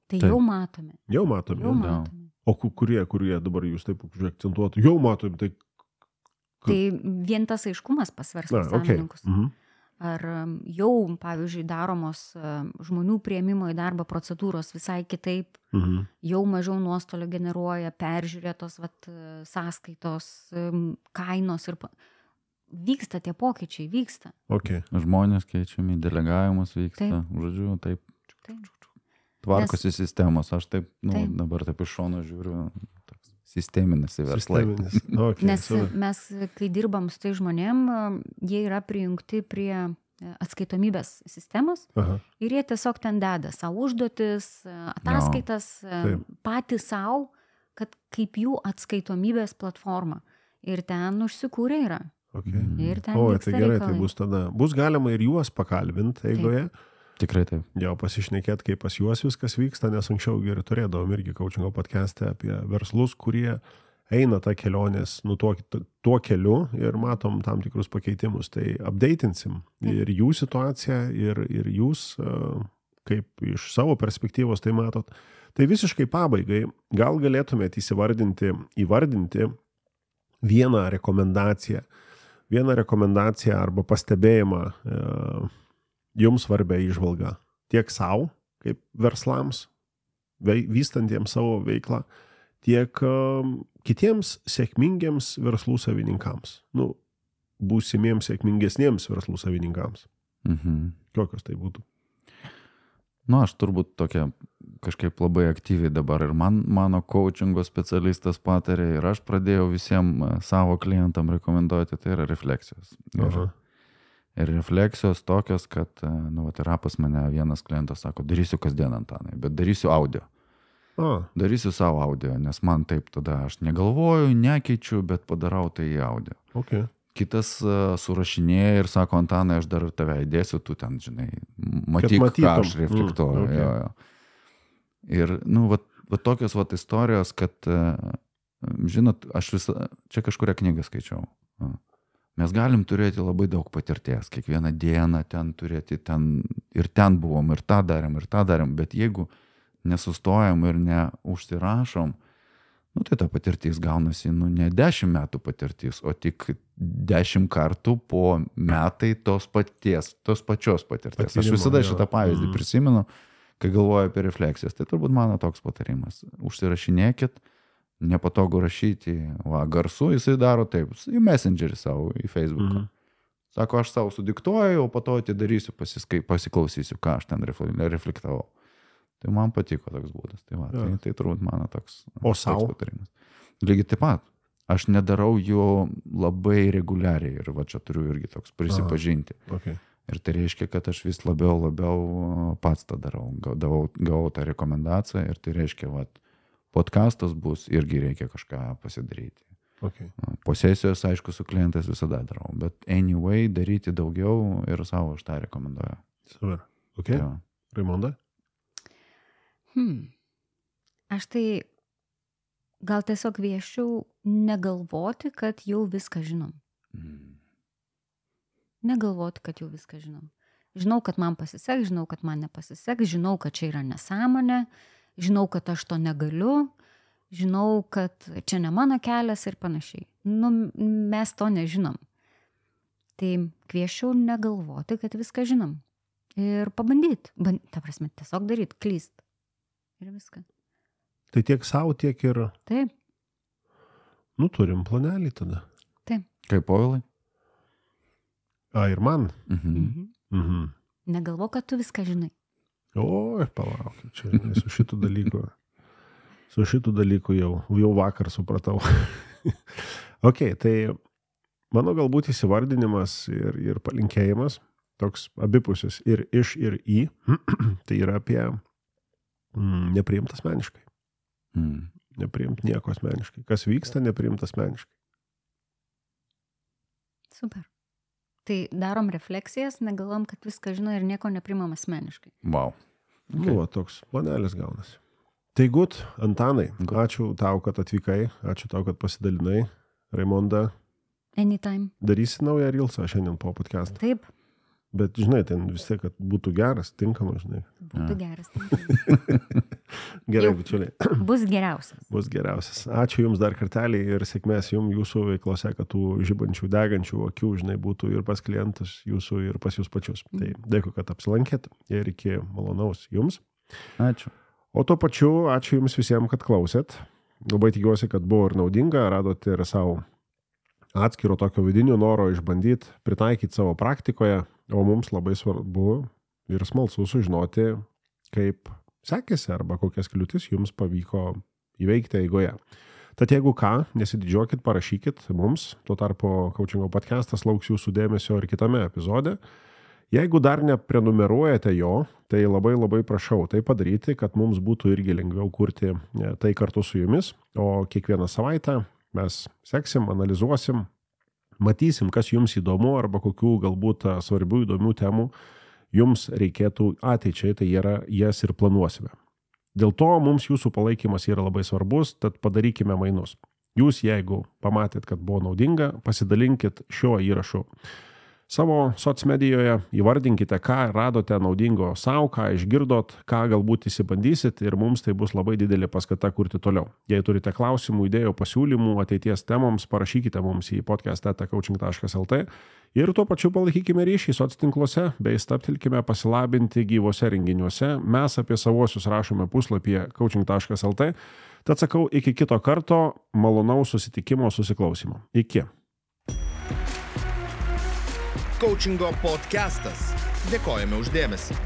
Tai jau matome. Jau matome. Jau matome. O kurie, kurie dabar jūs taip akcentuotų, jau matom, tai... Tai vien tas aiškumas pas verslo savininkus. Okay. Mhm. Ar jau, pavyzdžiui, daromos žmonių priėmimo į darbą procedūros visai kitaip, mhm. jau mažiau nuostolio generuoja, peržiūrėtos vat, sąskaitos, kainos ir... Vyksta tie pokyčiai, vyksta. Okay. Žmonės keičiami, delegavimas vyksta, taip. Žodžiu, taip. Taip. Tvarkosi Nes... sistemos, aš taip, nu, taip. dabar taip iš šono žiūriu, toks sisteminis į verslą. Okay, Nes so. mes, kai dirbam su tai žmonėm, jie yra prijungti prie atskaitomybės sistemos. Aha. Ir jie tiesiog ten deda savo užduotis, ataskaitas, no. patys savo, kad kaip jų atskaitomybės platforma. Ir ten užsikūrė yra. Okay. Ir ten o, vyksta tai gerai, reikalai. Tai bus tada. Bus galima ir juos pakalbinti eigoje. Taip. Tikrai taip. Jau pasišnekėti, kaip pas juos viskas vyksta, nes anksčiau ir turėdavom irgi coachingo podcast'e apie verslus, kurie eina tą kelionės nu, tuo, tuo keliu ir matom tam tikrus pakeitimus. Tai updatinsim ir jų situaciją, ir, ir jūs, kaip iš savo perspektyvos tai matot. Tai visiškai pabaigai, gal galėtumėte įsivardinti, įvardinti vieną rekomendaciją, vieną rekomendaciją arba pastebėjimą jums svarbia įžvalga tiek savo, kaip verslams, vystantiems savo veiklą, tiek uh, kitiems sėkmingiems verslų savininkams. Nu, būsimiems sėkmingesniems verslų savininkams. Mhm. Kokios tai būtų? Nu, aš turbūt tokia kažkaip labai aktyviai dabar ir man, mano coachingo specialistas patarė ir aš pradėjau visiems savo klientam rekomenduoti, tai yra refleksijos. Ir, Aha. ir refleksijos tokios, kad, nu, vat, yra pas mane vienas klientas sako, darysiu kasdien, Antanai, bet darysiu audio. A. Darysiu savo audio, nes man taip tada aš negalvoju, nekeičiu, bet padarau tai į audio. Okay. Kitas uh, surašinėja ir sako, Antanai, aš dar tave įdėsiu, tu ten, žinai, matyk, ką aš reflektuoju. Mm, okay. jo, jo. Ir, nu, vat, vat tokios vat istorijos, kad, uh, žinot, aš visą, čia kažkuria knygą skaičiau. Uh. Mes galim turėti labai daug patirties, kiekvieną dieną ten turėti, ten, ir ten buvom, ir tą darėm, ir tą darėm, bet jeigu nesustojam ir neužsirašom, nu tai ta patirtis gaunasi, nu ne dešimt metų patirtis, o tik dešimt kartų po metai tos paties, tos pačios patirties. Patyrimo, aš visada šitą pavyzdį mm. prisimenu, kai galvoju apie refleksijas, tai turbūt mano toks patarimas. Užsirašinėkit, nepatogu rašyti, va, garsu jisai daro taip, į Messengerį savo, į Facebooką. Mm. Sako, aš savo sudiktuoju, o po to atidarysiu, pasiskai, pasiklausysiu, ką aš ten reflektavau. Tai man patiko toks būdas. Tai, va, tai, tai turbūt mano toks, o toks patarimas. Lygiai taip pat. Aš nedarau jo labai reguliariai ir va čia turiu irgi toks prisipažinti. Aha, okay. Ir tai reiškia, kad aš vis labiau, labiau pats tą darau. Gavau, gavau tą rekomendaciją ir tai reiškia, va, podcastas bus, irgi reikia kažką pasidaryti. Okay. Po sesijos, aišku, su klientais visada darau, bet anyway, daryti daugiau ir savo aš tą rekomenduoju. Super. Ok. Ja. Raimonda? Hmm. Aš tai gal tiesiog kviesčiau negalvoti, kad jau viską žinom. Mm. Negalvoti, kad jau viską žinom. Žinau, kad man pasiseks, žinau, kad man nepasiseks, žinau, kad čia yra nesąmonė, žinau, kad aš to negaliu, žinau, kad čia ne mano kelias ir panašiai. Nu, mes to nežinom. Tai kviesčiau negalvoti, kad viską žinom. Ir pabandyti. Band, ta prasme, tiesiog daryti, klyst. Ir viską. Tai tiek savo, tiek ir... Taip. Nu, turim planelį tada. Taip. Kaip Povilai? A, ir man? Mhm. Mhm. Mhm. Negalvo, kad tu viską žinai. O, palauk, čia žinai, su šitų dalykų. Su šitų dalykų jau, jau vakar supratau. Ok, tai mano galbūt įsivardinimas ir, ir palinkėjimas, toks abipusis ir iš ir į, tai yra apie mm, nepriimt asmeniškai. Mm. Nepriimt nieko asmeniškai. Kas vyksta, nepriimt asmeniškai. Super. Tai darom refleksijas, negalvom, kad viską žino ir nieko neprimam asmeniškai. Wow. Okay. Nu, va, toks planelis gaunasi. Tai gut, Antanai, Good. Ačiū tau, kad atvykai, ačiū tau, kad pasidalinai. Raimonda, Anytime. darysi naują Reelsą šiandien po podcastą. Taip, Bet, žinai, ten vis tiek, kad būtų geras, tinkamas, žinai. būtų Ja. geras. Gerai, Jau. bičiuliai. Bus geriausias. Bus geriausias. Ačiū Jums dar kartelį ir sėkmės Jums jūsų veiklose, kad tų žibančių, degančių akių, žinai, būtų ir pas klientus jūsų, ir pas Jūs pačius. Tai dėkui, kad apsilankėt ir iki malonaus Jums. Ačiū. O tuo pačiu, ačiū Jums visiems, kad klausėt. Labai tikiuosi, kad buvo ir naudinga, radote ir savo atskiro tokio vidinio noro išbandyti, pritaikyti savo praktikoje, o mums labai svarbu ir smalsu sužinoti, kaip sekėsi arba kokias kliūtis Jums pavyko įveikti eigoje. Tad jeigu ką, nesididžiuokit, parašykit mums, tuo tarpu Coachingo podcastas lauks Jūsų dėmesio ir kitame epizode. Jeigu dar neprenumeruojate jo, tai labai labai prašau tai padaryti, kad mums būtų irgi lengviau kurti tai kartu su Jumis, o kiekvieną savaitę mes seksim, analizuosim, matysim, kas Jums įdomu arba kokių galbūt svarbių įdomių temų Jums reikėtų ateičiai, tai yra, jas ir planuosime. Dėl to mums Jūsų palaikymas yra labai svarbus, tad padarykime mainus. Jūs, jeigu pamatėt, kad buvo naudinga, pasidalinkit šiuo įrašu savo socmedijoje, įvardinkite, ką radote naudingo savo, ką išgirdot, ką galbūt įsibandysit ir mums tai bus labai didelė paskata kurti toliau. Jei turite klausimų, idėjų, pasiūlymų ateities temoms, parašykite mums į podcast eta coaching taškas lt ir tuo pačiu palaikykime ryšį soctinkluose bei stabtelkime pasilabinti gyvose renginiuose. Mes apie savosius rašome puslapyje coaching taškas lt. Tad sakau, iki kito karto, malonaus susitikimo, susiklausimo. Iki. Coachingo podcastas. Dėkojame už dėmesį.